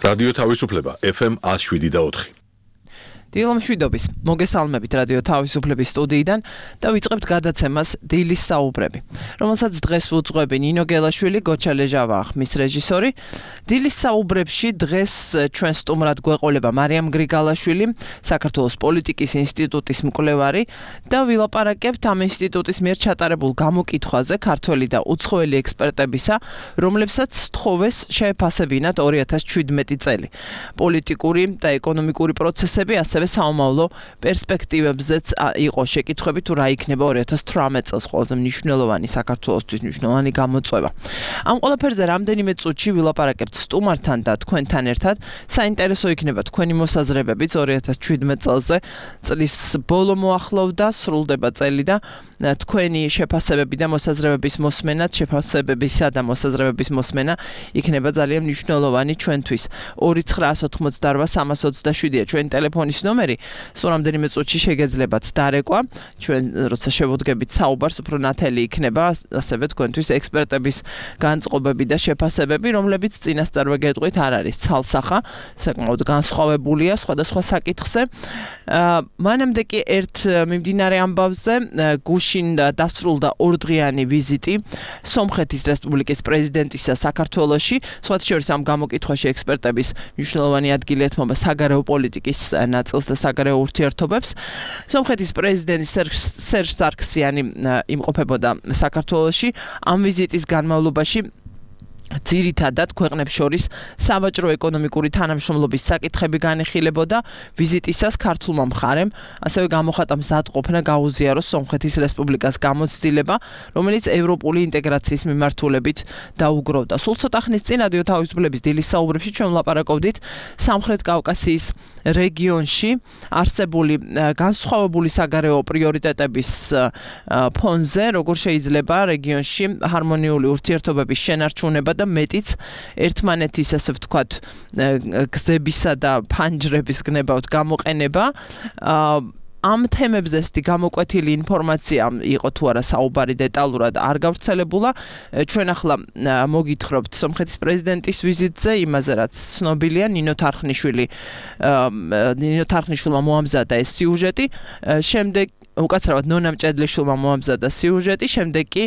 რადიო თავისუფლება FM 107.4. დილო მშვიდობის, მოგესალმებით რადიო თავისუფლების სტუდიიდან და ვიწყებთ გადაცემას დილის საუბრები, რომელსაც დღეს უძღვები ნინო გელაშვილი, გოჩა ლეჟავა, ხმის რეჟისორი. დილის საუბრებში დღეს ჩვენ სტუმრად გვეყოლება მარიამ გრიგალაშვილი, საქართველოს პოლიტიკის ინსტიტუტის მკვლევარი და ვილაპარაკებთ ამ ინსტიტუტის მიერ ჩატარებულ გამოკითხვაზე ქართველი და უცხოელი ექსპერტებისა, რომლებსაც სთხოვეს შეეფასებინათ 2017 წელი. პოლიტიკური და ეკონომიკური პროცესები ასევე საომავლო პერსპექტივებზეც იყო შეკითხვები თუ რა იქნება 2018 წელს ყველაზე მნიშვნელოვანი საქართველოსთვის მნიშვნელოვანი გამოწვევა. ამ ყველაფერზე რამდენიმე წუთში ვილაპარაკებთ სტუმართან და თქვენთან ერთად. საინტერესო იქნება თქვენი მოსაზრებებიც 2017 წელზე. წლის ბოლო მოახლოვდა, სრულდება წელი და თქვენი შეფასებები და მოსაზრებების მოსმენა, შეფასებებისა და მოსაზრებების მოსმენა იქნება ძალიან მნიშვნელოვანი ჩვენთვის. 2988327-ია ჩვენი ტელეფონის ნომერი. სულ რამდენიმე წუთში შეგეძლებათ დარეკვა. ჩვენ როცა შევუდგებით საუბარს, უფრო ნათელი იქნება ასევე თქვენთვის ექსპერტების განწყობები და შეფასებები, რომლებიც წინასწარვე გეტყვით არ არის ცალსახა, საკმაოდ განსხვავებულია სხვადასხვა საკითხზე. მანამდე კი ერთ მიმდინარე ამბავზე გუშინ დასრულდა ორდღიანი ვიზიტი სომხეთის რესპუბლიკის პრეზიდენტისა საქართველოში. სხვათა შორის ამ გამოკითხვაში ექსპერტების მნიშვნელოვანი ადგილი ეთმობა საგარეო პოლიტიკის ნაწილს და საგარეო ურთიერთობებს. სომხეთის პრეზიდენტი სერჟ სარქსიანი იმყოფებოდა საქართველოში. ამ ვიზიტის განმავლობაში ძირითადად ქვეყნებს შორის სავაჭრო ეკონომიკური თანამშრომლობის საკითხები განიხილებოდა. ვიზიტისას ქართულმა მხარემ ასევე გამოხატა მზადყოფნა გაუზიაროს სომხეთის რესპუბლიკას გამოცდილება, რომელიც ევროპული ინტეგრაციის მიმართულებით დაუგროვდა. სულ ცოტა ხნის წინ რადიო თავისუფლების დილის საუბრებში ჩვენ ვლაპარაკობდით სამხრეთ კავკასიის რეგიონში არსებული განსხვავებული საგარეო პრიორიტეტების ფონზე, როგორ შეიძლება რეგიონში ჰარმონიული ურთიერთობების შენარჩუნება და მეტიც ერთმანეთის ასე ვთქვათ გზებისა და ფანჯრების გნებავთ გამოყენება. ამ თემებზე გამოკვეთილი ინფორმაცია იყო თუ არა საუბარი დეტალურად არ გავრცელებულა. ჩვენ ახლა მოგითხრობთ სომხეთის პრეზიდენტის ვიზიტზე, იმაზე რაც ცნობილია. ნინო თარხნიშვილმა მოამზადა ეს სიუჟეტი, შემდეგ უკაცრავად ნონა მჭედლიშვილმა მოამზადა სიუჟეტი, შემდეგ კი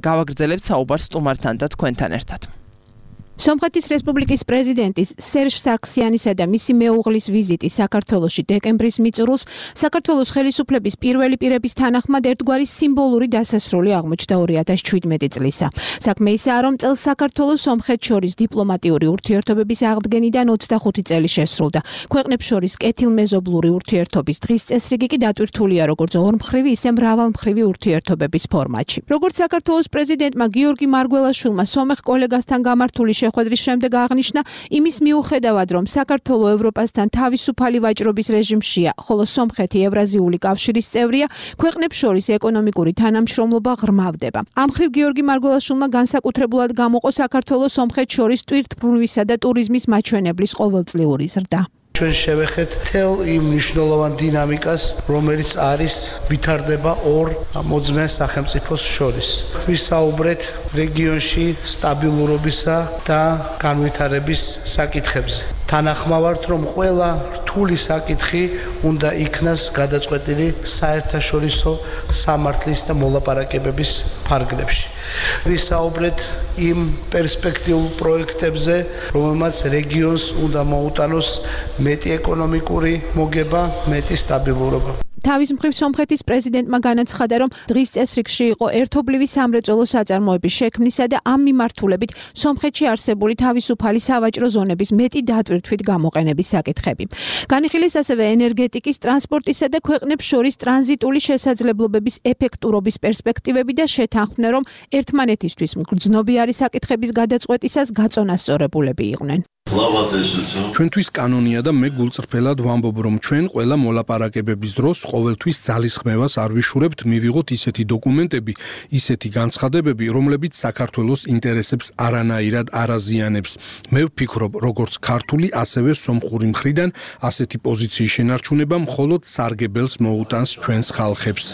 გავაგრძელებთ საუბარს სტუმართან და თქვენთან ერთად. სომხეთის რესპუბლიკის პრეზიდენტის სერჟ სარქსიანისა და მისი მეუღლის ვიზიტი საქართველოში დეკემბრის მიწურულს საქართველოს ხელისუფლების პირველი პირების თანახმად ერთგვარი სიმბოლური დასასრული აღმოჩნდა 2017 წლისა. საქმე ისაა, რომ წელს საქართველოს სომხეთს შორის დიპლომატიური ურთიერთობების აღდგენიდან 25 წელი შესრულდა. ქვეყნებს შორის კეთილმეზობლური ურთიერთობის დღის წესრიგი კი დატვირთულია როგორც ორმხრივი, ისე მრავალმხრივი ურთიერთობების ფორმატში. როგორც საქართველოს პრეზიდენტმა გიორგი მარგველაშვილმა სომეხ კოლეგასთან გამართული შეხვედრის შემდეგ აღნიშნა, იმის მიუხედავად, რომ საქართველო ევროპასთან თავისუფალი ვაჭრობის რეჟიმშია, ხოლო სომხეთი ევრაზიული კავშირის წევრია, ქვეყნებს შორის ეკონომიკური თანამშრომლობა ღრმავდება. ამ მხრივ გიორგი მარგველაშვილმა განსაკუთრებულად გამოყო საქართველოს სომხეთს შორის ტვირთბრუნვისა და ტურიზმის მაჩვენებლის ყოველწლიური ზრდა. ჩვენ შევეხეთ თელ იმ მნიშვნელოვან დინამიკას, რომელიც არის ვითარდება ორ მოძმე სახელმწიფოს შორის. ვისაუბრეთ რეგიონში სტაბილურობისა და განვითარების საკითხებზე. თანახმავართ, რომ ყველა რთული საკითხი უნდა იქნას გადაწყვეტილი საერთაშორისო სამართლის და მოლაპარაკებების ფარგლებში. ვისაუბრეთ იმ პერსპექტიულ პროექტებზე, რომელმაც რეგიონს უნდა მოუტანოს მეტი ეკონომიკური მოგება, მეტი სტაბილურობა. თავის მხრივ სომხეთის პრეზიდენტმა განაცხადა, რომ დღის წესრიგში იყო ერთობლივი სამრეწველო საწარმოების შექმნისა და ამ მიმართულებით სომხეთში არსებული თავისუფალი სავაჭრო ზონების მეტი დატვირთვით გამოყენების საკითხები. განიხილეს ასევე ენერგეტიკის, ტრანსპორტისა და ქვეყნებს შორის ტრანზიტული შესაძლებლობების ეფექტურობის პერსპექტივები და შეთანხმდა, რომ ერთმანეთისთვის მგრძნობიარი საკითხების გადაწყვეტისას გაწონასწორებულები იყვნენ. ჩვენთვის კანონია და მე გულწრფელად ვამბობ, რომ ჩვენ ყველა მოლაპარაკებების დროს ყოველთვის ძალისხმევას არ ვიშურებთ მივიღოთ ისეთი დოკუმენტები, ისეთი განცხადებები, რომლებიც საქართველოს ინტერესებს არანაირად არ აზიანებს. მე ვფიქრობ, როგორც ქართული, ასევე სომხური მხრიდან ასეთი პოზიციის შენარჩუნება მხოლოდ სარგებელს მოუტანს ჩვენს ხალხებს.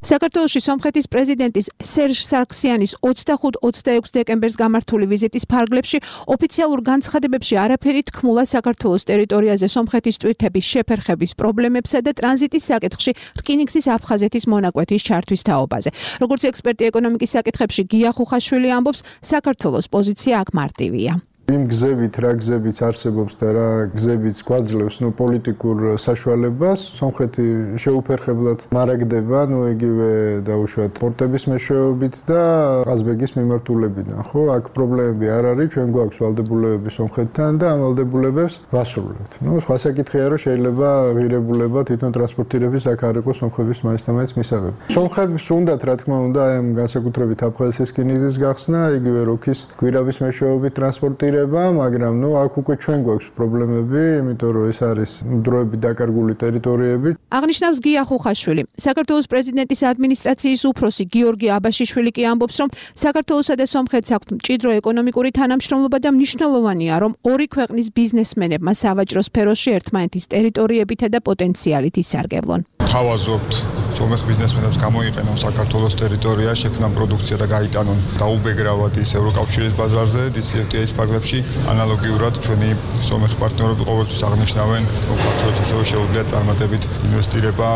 საქართველოში სომხეთის პრეზიდენტის სერჟ სარქსიანის 25-26 დეკემბერს გამართული ვიზიტის ფარგლებში ოფიციალურ განცხადებებში არაფერი თქმულა საქართველოს ტერიტორიაზე სომხეთის ტვირთების შეფერხების პრობლემებსა და ტრანზიტის საკითხში რკინიგზის აფხაზეთის მონაკვეთის ჩართვის თაობაზე. როგორც ექსპერტი ეკონომიკის საკითხებში გია ხუხაშვილი ამბობს, საქართველოს პოზიცია აქ მარტივია. იმ გზებით, რა გზებიც არსებობს და რა გზებიც გვაძლევს პოლიტიკურ საშუალებას, სომხეთი შეუფერხებლად მარაგდება, იგივე დაუშვათ პორტების მეშვეობით და ყაზბეგის მიმართულებიდან, ხო? აქ პრობლემები არ არის, ჩვენ გვაქვს ვალდებულებები სომხეთთან და ამ ვალდებულებებს ვასრულებთ. სხვა საკითხია, რომ შეიძლება ღირებულება თვითონ ტრანსპორტირების აქ არ იყოს სომხების მაინც მისაღები. სომხებს უნდათ, რა თქმა უნდა, აი ამ განსაკუთრებით აფხაზეთის რკინიგზის გახსნა, იგივე როქის გვირაბის მეშვეობით ტრანსპორტირება, მაგრამ აქ უკვე ჩვენ გვაქვს პრობლემები, იმიტომ რომ ეს არის დროებით დაკარგული ტერიტორიები. აღნიშნავს გია ხუხაშვილი. საქართველოს პრეზიდენტის ადმინისტრაციის უფროსი გიორგი აბაშიშვილი კი ამბობს, რომ საქართველოსა და სომხეთს აქვთ მჭიდრო ეკონომიკური თანამშრომლობა და მნიშვნელოვანია, რომ ორი ქვეყნის ბიზნესმენებმა სავაჭრო სფეროში ერთმანეთის ტერიტორიებითა და პოტენციალით ისარგებლონ. თავაზობთ სომეხ ბიზნესმენებს გამოიყენონ საქართველოს ტერიტორია, შექმნან პროდუქცია და გაიტანონ დაუბეგრავად ის ევროკავშირის ბაზარზე, DCFTA-ის ფარგლებში. ანალოგიურად ჩვენი სომეხ პარტნიორები ყოველთვის აღნიშნავენ, რომ საქართველოს ისევ შეუძლია წარმატებით ინვესტირება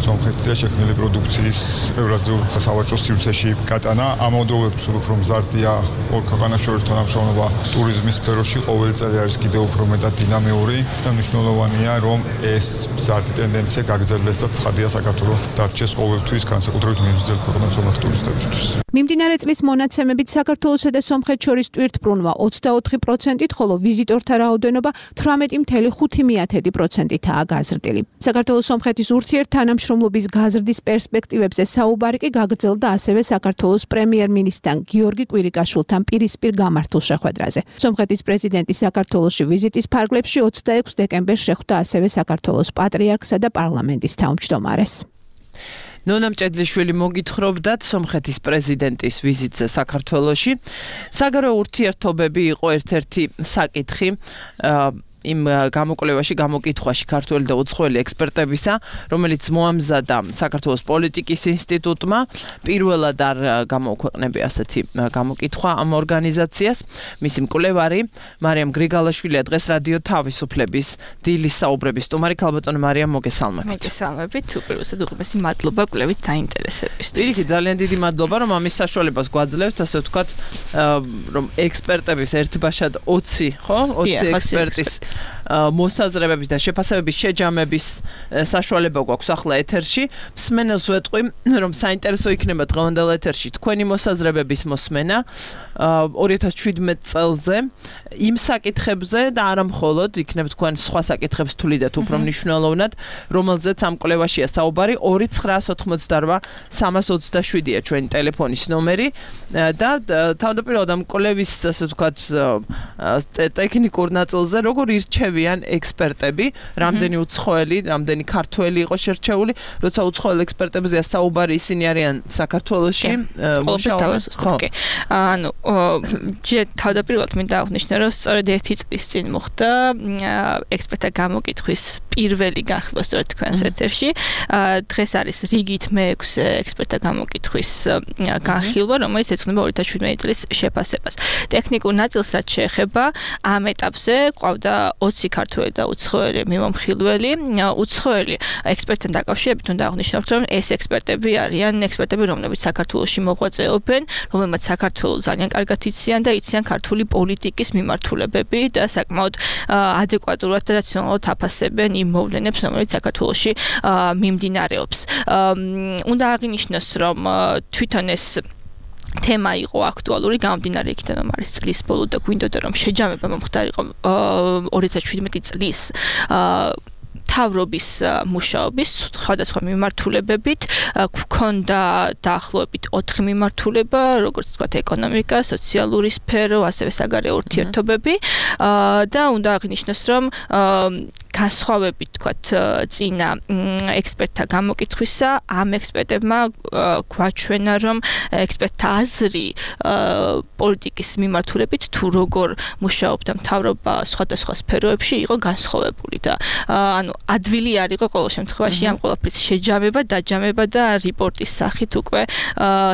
სომხეთში შექმნილი პროდუქციის ევრაზიულ სავაჭრო სივრცეში გატანა. ამავდროულად უფრო მზარდია ორ ქვეყანას შორის თანამშრომლობა ტურიზმის სფეროში, ყოველი წელი არის კიდევ უფრო მეტად დინამიური და მნიშვნელოვანია, რომ ეს მზარდი ტენდენცია გაგრძელდეს და ცხადია საქართველოს დარჩეს ყოველთვის განსაკუთრებით მიმზიდველ ქვეყნად სომეხ ტურისტებისთვის. მიმდინარე წლის მონაცემებით საქართველოსა და სომხეთს შორის ტვირთბრუნვა 24%-ით, ხოლო ვიზიტორთა რაოდენობა 18.5%-აა გაზრდილი. საქართველოს-სომხეთის ურთიერთთანამშრომლობის გაზრდის პერსპექტივებზე საუბარი კი გაგრძელდა ასევე საქართველოს პრემიერ-მინისტრთან გიორგი კვირიკაშვილთან პირისპირ გამართულ შეხვედრაზე. სომხეთის პრეზიდენტი საქართველოში ვიზიტის ფარგლებში 26 დეკემბერს შეხვდა ასევე საქართველოს პატრიარქსა და პარლამენტის თავმჯდომარეს. ნონა მჭედლიშვილი მოგითხრობდათ სომხეთის პრეზიდენტის ვიზიტზე საქართველოში. საგარეო ურთიერთობები იყო ერთ-ერთი საკითხი იმ გამოკვლევაში, გამოკითხვაში ქართველი და უცხოელი ექსპერტებისა, რომელიც მოამზადა საქართველოს პოლიტიკის ინსტიტუტმა. პირველად არ გამოუქვეყნებია ასეთი გამოკითხვა ამ ორგანიზაციას. მისი მკვლევარი მარიამ გრიგალაშვილია დღეს რადიო თავისუფლების დილის საუბრების სტუმარი. ქალბატონო მარიამ, მოგესალმებით. მოგესალმებით. უპირველესად უღებესი მადლობა კვლევით დაინტერესებისთვის. პირიქით, ძალიან დიდი მადლობა, რომ ამის საშუალებას გვაძლევთ, ასე ვთქვათ, რომ ექსპერტების ერთბაშად 20, ხო? 20 ექსპერტის მოსაზრებების და შეფასებების შეჯამების საშუალება გვაქვს ახლა ეთერში. მსმენელს ვეტყვი, რომ საინტერესო იქნება დღევანდელ ეთერში თქვენი მოსაზრებების მოსმენა 2017 წელზე იმ საკითხებზე და არა მხოლოდ იქნებ თქვენ სხვა საკითხებს თვლიდეთ უფრო მნიშვნელოვნად, რომელზეც ამ კვლევაშია საუბარი. 2988-327-ია ჩვენი ტელეფონის ნომერი და თავდაპირველად ამ კვლევის ასე ვთქვათ ტექნიკურ ნაწილზე როგორ ირჩევიან ექსპერტები, რამდენი უცხოელი, რამდენი ქართველი იყო შერჩეული, როცა უცხოელ ექსპერტებზეა საუბარი, ისინი არიან საქართველოში მუშაობენ. ანუ თავდაპირველად მინდა აღნიშნო, რომ სწორედ 1 წლის წინ მოხდა ექსპერტთა გამოკითხვის პირველი განხილვა სწორედ თქვენს ეთერში. დღეს არის რიგით მე-6 ექსპერტთა გამოკითხვის განხილვა, რომელიც ეძღვნება 2017 წლის შეფასებას. ტექნიკურ ნაწილს რაც შეეხება ამ ეტაპზე ყავდა 20 ქართველი და უცხოელი მიმომხილველი. უცხოელი ექსპერტთან დაკავშირებით უნდა აღნიშნოთ, რომ ეს ექსპერტები არიან ექსპერტები, რომლებიც საქართველოში მოღვაწეობენ, რომლებმაც საქართველოს ძალიან კარგად იციან და იციან ქართული პოლიტიკის მიმართულებები და საკმაოდ ადეკვატურად და რაციონალურად აფასებენ იმ მოვლენებს, რომელიც საქართველოში მიმდინარეობს. უნდა აღინიშნოს, რომ თვითონ ეს თემა იყო აქტუალური გამომდინარე იქიდან, რომ არის წლის ბოლო და გვინდოდა რომ შეჯამება მომხდარიყო 2017 წლის მთავრობის მუშაობის სხვადასხვა მიმართულებებით გვქონდა დაახლოებით 4 მიმართულება, როგორც ვთქვათ, ეკონომიკა, სოციალური სფერო, ასევე საგარეო ურთიერთობები და უნდა აღინიშნოს, რომ განსხვავებით თქვათ წინა ექსპერტთა გამოკითხვისა, ამ ექსპერტებმა გვაჩვენა, რომ ექსპერტთა აზრი პოლიტიკის მიმართულებით თუ როგორ მუშაობდა მთავრობა სხვადასხვა სფეროებში იყო განსხვავებული და ანუ ადვილი არ იყო ყოველ შემთხვევაში ამ ყველაფრის შეჯამება, დაჯამება და რიპორტის სახით უკვე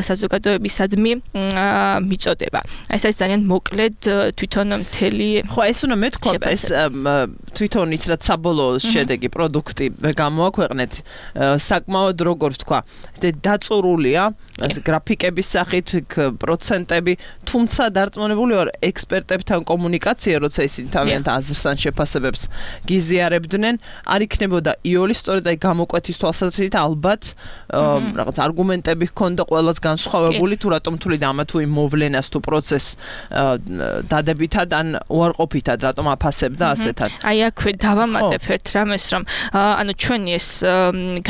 საზოგადოებისადმი მიწოდება. ეს არის ძალიან მოკლედ თვითონ მთელი ხო ეს უნდა მეთქვა ეს თვითონ ის რაც საბოლოო შედეგი პროდუქტი გამოაქვეყნეთ საკმაოდ როგორ ვთქვა ეს დაწურულია გრაფიკების სახით პროცენტები თუმცა დარწმუნებული ვარ ექსპერტებთან კომუნიკაცია როცა ისინი თავიანთ აზრს ან შეფასებებს გიზიარებდნენ არ იქნებოდა იოლი სწორედ აი გამოკვეთის თვალსაზრისით ალბათ რაღაც არგუმენტები ჰქონდა ყველას განსხვავებული თუ რატომ თვლიდა ამა თუ იმ მოვლენას თუ პროცესს დადებითად ან უარყოფითად რატომ აფასებდა ასეთად აი აქვე დავამატებ ერთ რამეს რომ ანუ ჩვენი ეს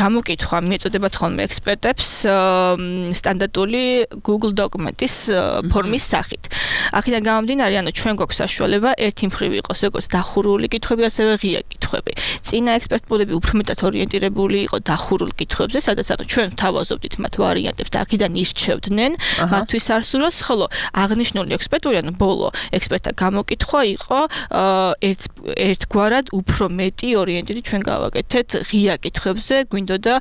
გამოკითხვა მიეწოდებათ ხოლმე ექსპერტებს სტანდარტული Google დოკუმენტის ფორმის სახით. აქედან გამომდინარე, ანუ ჩვენ გვაქვს საშუალება ერთი მხრივ იყოს როგორც დახურული კითხვები, ასევე ღია კითხვები. წინა ექსპერტები უფრო მეტად ორიენტირებული იყო დახურულ კითხვებზე, სადაც ანუ ჩვენ თავაზობდით მათ ვარიანტებს და აქედან ირჩევდნენ მათთვის არსუროს, ხოლო აღნიშნული ექსპერტული, ანუ ბოლო ექსპერტთა გამოკითხვა იყო ერთგვარად უფრო მეტი ორიენტირი ჩვენ გავაკეთეთ ღია კითხვებზე, გვინდოდა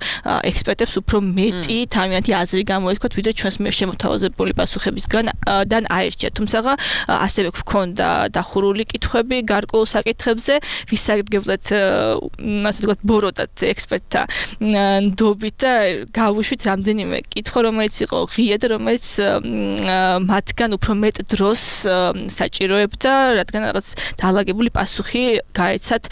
ექსპერტებს უფრო მეტი თავიანთი აზრი გამოეთქვათ, ვიდრე ჩვენს მიერ შემოთავაზებული პასუხებისგან აირჩიათ. თუმცა ასევე გვქონდა დახურული კითხვები გარკვეულ საკითხებზე, ვისაგებლად ასე ვთქვათ, ბოროტად ექსპერტთა ნდობით და გავუშვით რამდენიმე კითხვა, რომელიც იყო ღია და რომელიც მათგან უფრო მეტ დროს საჭიროებდა, რადგან რაღაც დაალაგებული პასუხი გაეცათ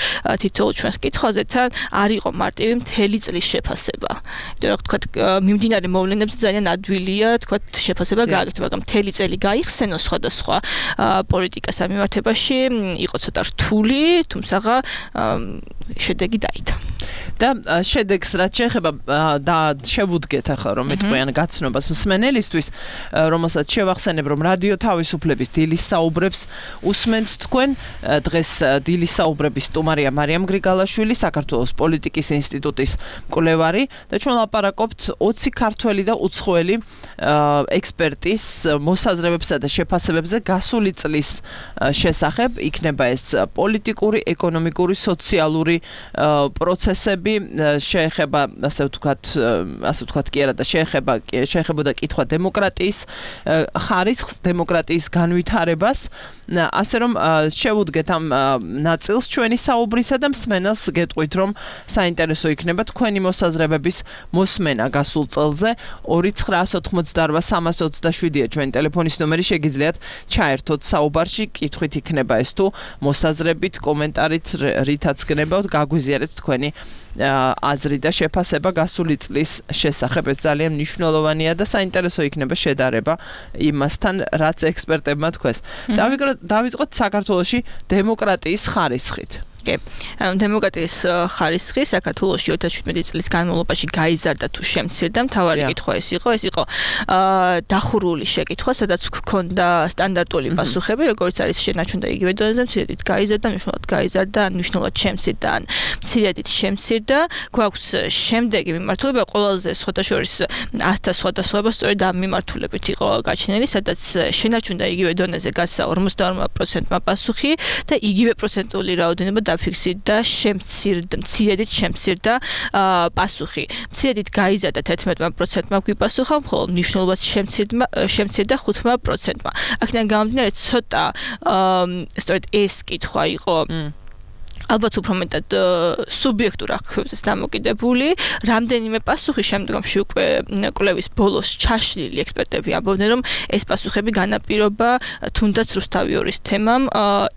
თითოეულ ჩვენს კითხვაზე თან არ იყო მარტივი მთელი წლის შეფასება. იმიტომ რომ ვთქვათ, მიმდინარე მოვლენებზე ძალიან ადვილია თქვათ შეფასება გააკეთო, მაგრამ მთელი წელი გაიხსენო სხვადასხვა პოლიტიკას ამიმართებაში იყო ცოტა რთული, თუმცა შედეგი დაიდა. და შედეგს რაც შეეხება და შევუდგეთ ახლა რომ მეტყვიან გაცნობას მსმენელისთვის, რომელსაც შევახსენებ რომ რადიო თავისუფლების დილის საუბრებს usment თქვენ დღეს დილის საუბრების სტუმარია მარიამ გრიგალაშვილი, საქართველოს პოლიტიკის ინსტიტუტის მკვლევარი და ჩვენ ლაპარაკობთ 20 ქართველი და უცხოელი ექსპერტის მოსაზრებებსა და შეფასებებზე გასული წლის შესახებ, იქნება ეს პოლიტიკური, ეკონომიკური, სოციალური პროცესები შეეხება ასე ვთქვათ კი არა და შეეხებოდა კითხვა დემოკრატიის ხარისხს, დემოკრატიის განვითარებას, ასე რომ შევუდგეთ ამ ნაწილს ჩვენი საუბრისა და მსმენელს გეტყვით რომ საინტერესო იქნება თქვენი მოსაზრებების მოსმენა გასულ წელზე 2988327-ია ჩვენი ტელეფონის ნომერი, შეგიძლიათ ჩაერთოთ საუბარში, კითხვით იქნება ეს თუ მოსაზრებით, კომენტარით, რითაც გნებავთ, გაგვიზიარეთ თქვენი აზრი და შეფასება გასული წლის შესახებ. ეს ძალიან მნიშვნელოვანია და საინტერესო იქნება შედარება იმასთან, რაც ექსპერტებმა თქვეს. დავიწყოთ საქართველოში დემოკრატიის ხარისხით. ანუ დემოკრატიის ხარისხი საქართველოში 2017 წლის განმავლობაში გაიზარდა თუ შემცირდა, მთავარი კითხვა ეს იყო დახურული შეკითხვა, სადაც გქონდა სტანდარტული პასუხები, როგორც არის შენაჩვენდა იგივე დონეზე, მცირედით გაიზარდა, მნიშვნელოვნად გაიზარდა, მნიშვნელოვნად შემცირდა, ან მცირედით შემცირდა. გვაქვს შემდეგი მიმართულება, ყველაზე სხვადასხვა 100-თა სხვადასხვაობა სწორედ ამ მიმართულებით იყო გაჩნილი, სადაც შენაჩვენდა იგივე დონეზე გასცა 52%-მა პასუხი და იგივე პროცენტული რაოდენობა დაფიქსირდა, მცირედით შემცირდა პასუხი. მცირედით გაიზარდა 11%-მა გვიპასუხა, ხოლო მნიშვნელოვნად შემცირდა 5%-მა. აქედან გამომდინარე ცოტა სწორედ ეს კითხვა იყო ალბათ უფრო მეტად სუბიექტურ აღქმებზე დამოკიდებული, რამდენიმე პასუხი შემდგომში უკვე კვლევის ბოლოს ჩაშლილი ექსპერტები ამბობდნენ, რომ ეს პასუხები განაპირობა თუნდაც რუსთავიორის თემამ,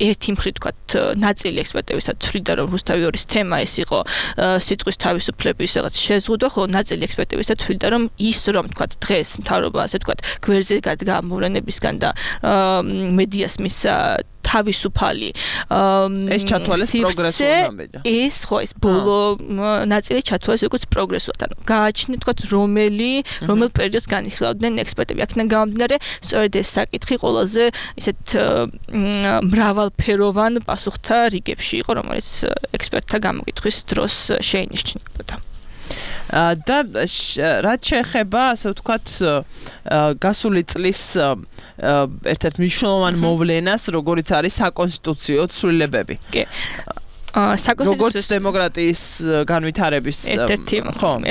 ერთი მხრივ თქვათ ნაწილი ექსპერტებისაც თვლიდა, რომ რუსთავიორის თემა ეს იყო სიტყვის თავისუფლების რაღაც შეზღუდვა, ხოლო ნაწილი ექსპერტებისაც თვლიდა, რომ ის რომ თქვათ დღეს მთავრობა ასე თქვათ გვერდზე გადგა მოვლენებისგან და მედიას მისცა თავისუფალი ეს ჩათვალეს პროგრესულ ნაბიჯი. ეს ხო ეს ბოლო ნაწილი ჩათვალეს როგორც პროგრესულად. ანუ გააჩნიათ თქვათ რომელ პერიოდს განიხილავდნენ ექსპერტები. აქედან გამომდინარე, სწორედ ეს საკითხი ყველაზე ისეთ მრავალფეროვან პასუხთა რიგებში იყო, რომელიც ექსპერტთა გამოკითხვის დროს შეინიშნებოდა. და რაც შეეხება, ასე ვთქვათ, გასული წლის ერთ-ერთ მნიშვნელოვან მოვლენას, როგორიც არის საკონსტიტუციო ცვლილებები. კი. როგორც დემოკრატიის განვითარების ერთ-ერთი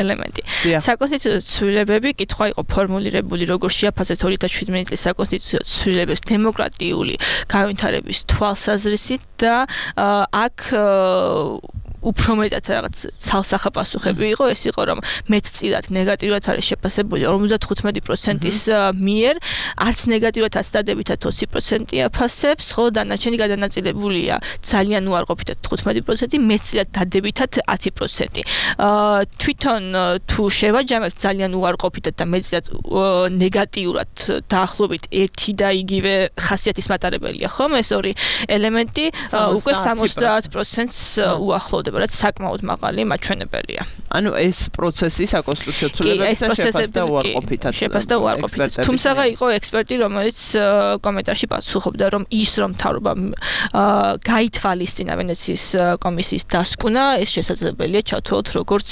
ელემენტი. საკონსტიტუციო ცვლილებები კითხვა იყო ფორმულირებული, როგორ შეაფასეთ 2017 წლის საკონსტიტუციო ცვლილებებს დემოკრატიული განვითარების თვალსაზრისით და აქ უფრო მეტად რაღაც ცალსახა პასუხები იყო, ეს იყო რომ მეტწილად ნეგატიურად არის შეფასებული 55%-ის მიერ, არც ნეგატიურად, არც დადებითად 20% აფასებს, ხოლო დანარჩენი გადანაწილებულია ძალიან უარყოფითად 15%, მეტწილად დადებითად 10%. თვითონ თუ შევაჯამებთ ძალიან უარყოფითად და მეტწილად ნეგატიურად დაახლოებით ერთი და იგივე ხასიათის მატარებელია, ხომ? ეს ორი ელემენტი უკვე 70%-ს უახლოვდება. რაც საკმაოდ მაღალი მაჩვენებელია. ანუ ეს პროცესი საკონსტიტუციო ცვლილებებისა შეფასდა უარყოფითად. შეფასდა უარყოფითად. თუმცა იყო ექსპერტი, რომელიც კომენტარში პასუხობდა, რომ ის რომ მთავრობა გაითვალისწინა ვენეციის კომისიის დასკვნა, ეს შესაძლებელია ჩათვალოთ როგორც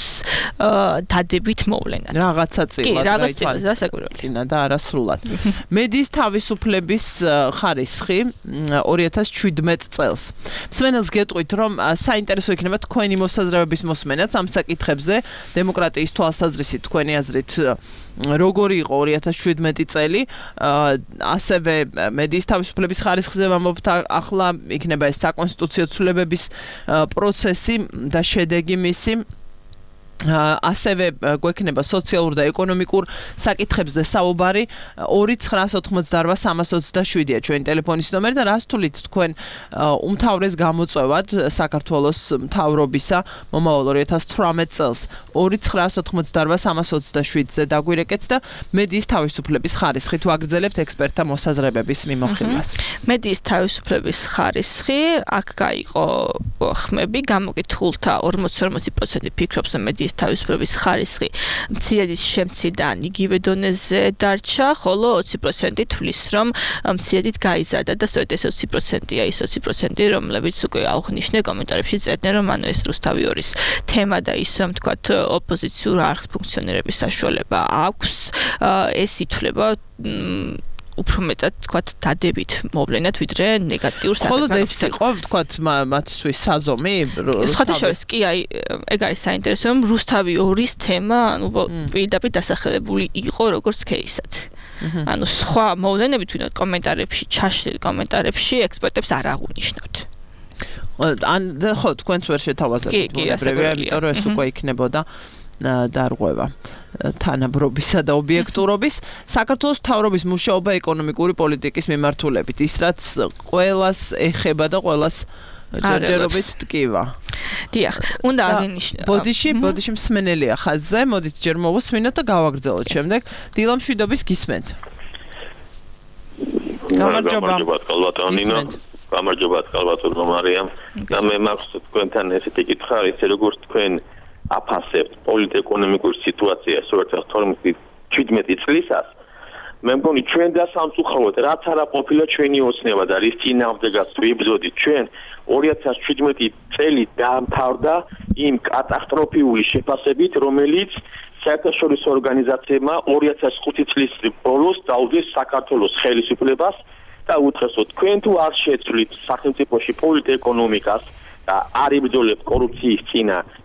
დადებით მოვლენად. რაღაცა წილად. კი, რაღაც წილად დასაკვირველი და არასრულად. მედიის თავისუფლების ხარისხი 2017 წელს. მსმენელს გეტყვით, რომ საინტერესო იქნება თქვენი მოსაზრებების მოსმენაც ამ საკითხებზე, დემოკრატიის თვალსაზრისით თქვენი აზრით როგორი იყო 2017 წელი, ასევე მედიის თავისუფლების ხარისხზე ვამბობთ, ახლა იქნება ეს საკონსტიტუციო ცვლილებების პროცესი და შედეგი მისი. ასევე გვექნება სოციალურ და ეკონომიკურ საკითხებზე საუბარი 2988327-ია ჩვენი ტელეფონის ნომერი და რას თulit თქვენ უმთავრეს გამოწვევად საქართველოს მთავრობისა მომავალ 2018 წელს 2988327-ზე დაგვირეკეთ და მედიის თავისუფლების ხარისხი თუ აგრძელებთ ექსპერტთა მოსაზრებების მიმოხილვას. მედიის თავისუფლების ხარისხი აქ გაიყო ხმები, გამოკითხულთა 40% ფიქრობს რომ მედიის თავისუფლების ხარისხი მცირედის შემცირდან იგივე დონეზე დარჩა, ხოლო 20% თვლის რომ მცირედით გაიზარდა და სწორედ ეს 20%-ია ის 20%, რომლებიც უკვე აღნიშნე კომენტარებში წერდნენ, რომ ანუ ეს რუსთავი ორის თემა და ის რომ თქვათ ოპოზიციურ არხს ფუნქციონირების საშუალება აქვს, ეს ითვლება უფრო მეტად თქვათ დადებით მოვლენად ვიდრე ნეგატიურ საკითხად. ხოლო ეს იყო თქვათ მათთვის საზომი? სხვათა შორის კი აი ეგ არის საინტერესო რომ რუსთავი ორის თემა ანუ პირდაპირ დასახელებული იყო როგორც кейსად. ანუ სხვა მოვლენებით ვინმე კომენტარებში ჩაშლილ კომენტარებში ექსპერტებს არ აღუნიშნავთ. ან ხო თქვენც ვერ შეთავაზებთ უბრალოდ იმიტომ რომ ეს უკვე იქნებოდა დარღვევა თანაბრობისა და ობიექტურობის. საქართველოს მთავრობის მუშაობა ეკონომიკური პოლიტიკის მიმართულებით, ის რაც ყველას ეხება და ყველას ჯერჯერობით ტკივა. დიახ, უნდა აღინიშნო. ბოდიში მსმენელია ხაზზე, მოდით ჯერ მოვუსმინოთ და გავაგრძელოთ შემდეგ. დილა მშვიდობის გისმენთ. გამარჯობა კალბატონინო. გამარჯობა კალბატონო მარიამ. და მე მაქვს თქვენთან ესეთი კითხვა არის, როგორც თქვენ აფასებთ პოლიტ-ეკონომიკურ სიტუაციას 2017 წლისას. მე მგონი ჩვენ და სამწუხაროდ რაც არა ყოფილა ჩვენი ოცნება და რის წინააღმდეგაც ვიბრძოდით ჩვენ 2017 წელი დაამთავრდა იმ კატასტროფიული შეფასებით, რომელიც საერთაშორისო ორგანიზაციებმა 2005 წლის ბოლოს დაუდგეს საქართველოს ხელისუფლებას და უთხრეს, თქვენ თუ არ შეცვლით სახელმწიფოში პოლიტ-ეკონომიკას და არ იბრძოლებთ კორუფციის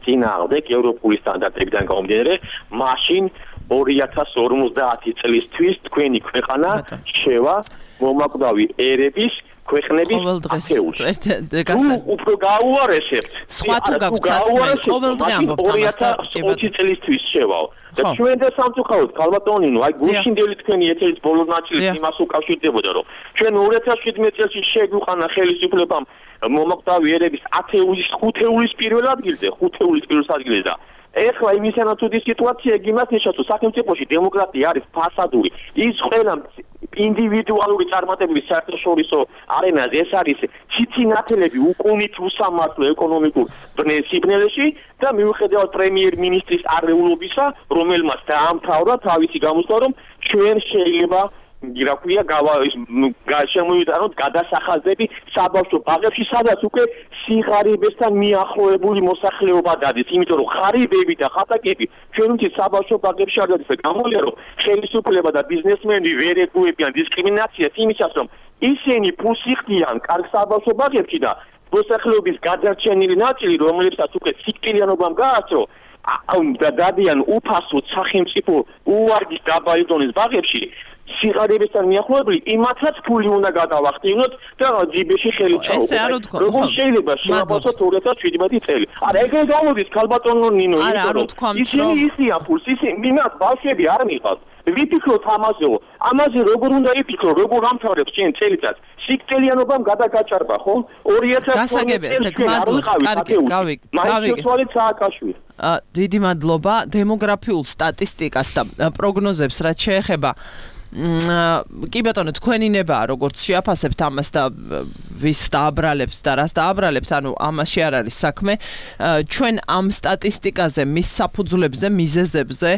წინააღმდეგ ევროპული სტანდარტებიდან გამომდინარე, მაშინ 2050 წლისთვის თქვენი ქვეყანა შევა მომაკვდავი ერების ქვეყნების ათეულში. უფრო გაუარესებთ. სხვა თუ გაგვცათ ყოველდღე ამბობთ ამას და 20 წლისთვის შევაო. და ჩვენ და სამწუხაროდ კალბატონინო, აი გუშინდელი თქვენი ეთერის ბოლო ნაწილი იმას უკავშირდებოდა, რომ ჩვენ 2017 წელს შეგვიყანა ხელისუფლებამ მომაკვდავი ერების ათეულის 5 ეულის პირველ ადგილზე და ეხლა იმისანა თუ სიტუაცია იმას ნიშნავს, რომ სახელმწიფოში დემოკრატია არის ფასადური. ის ყველა ინდივიდუალური წარმატებების საერთაშორისო არენაზე ეს არის ციცინათელები უკუნით უსამართლო ეკონომიკურ სიბნელეში და მიუხედავად პრემიერ-მინისტრის არეულობისა, რომელმაც დაამთავრა თავისი გამოსვლა, რომ ჩვენ შეიძლება რა ქვია შემოვიტანოთ გადასახადები საბავშვო ბაღებში, სადაც უკვე სიღარიბესთან მიახლოებული მოსახლეობა დადის, იმიტომ რომ ღარიბები და ხატაკები ჩვენთვის საბავშვო ბაღებში არ დადის და გამოვლია რომ ხელისუფლება და ბიზნესმენები ვერ ეგუებიან დისკრიმინაციას იმისას რომ ისინი ფულს იხდიან კარგ საბავშვო ბაღებში და მოსახლეობის გადარჩენილი ნაწილი რომლებსაც უკვე სიკვდილიანობამ გააცრო და დადიან უფასოდ სახელმწიფო უვარგის დაბალი დონის ბაღებში სიღარიბესთან მიახლოებული იმათაც ფული უნდა გადავახტივნოთ და ჯიბეში ხელი ჩაუყოთ. როგორ შეიძლება შეაფასოთ 2017 წელი? არა, ეგრე გამოდის ქალბატონო ნინო, ისინი ისიან ფულს, ისინი მიმაც ბავშვები არ მიყავს. ვიფიქროთ ამაზე როგორ უნდა იფიქრო, როგორ ამთავრებს ჩვენ წელიწადს? სიკვდილიანობამ გადაგაჭარბა, ხო? 2000 დიდი მადლობა დემოგრაფიულ სტატისტიკას და პროგნოზებს რაც შეეხება კი ბატონო თქვენინებაა როგორც შეაფასებთ ამას და ვის დააბრალებთ და რას დააბრალებთ ანუ ამაში არ არის საქმე ჩვენ ამ სტატისტიკაზე მის საფუძვლებზე მიზეზებზე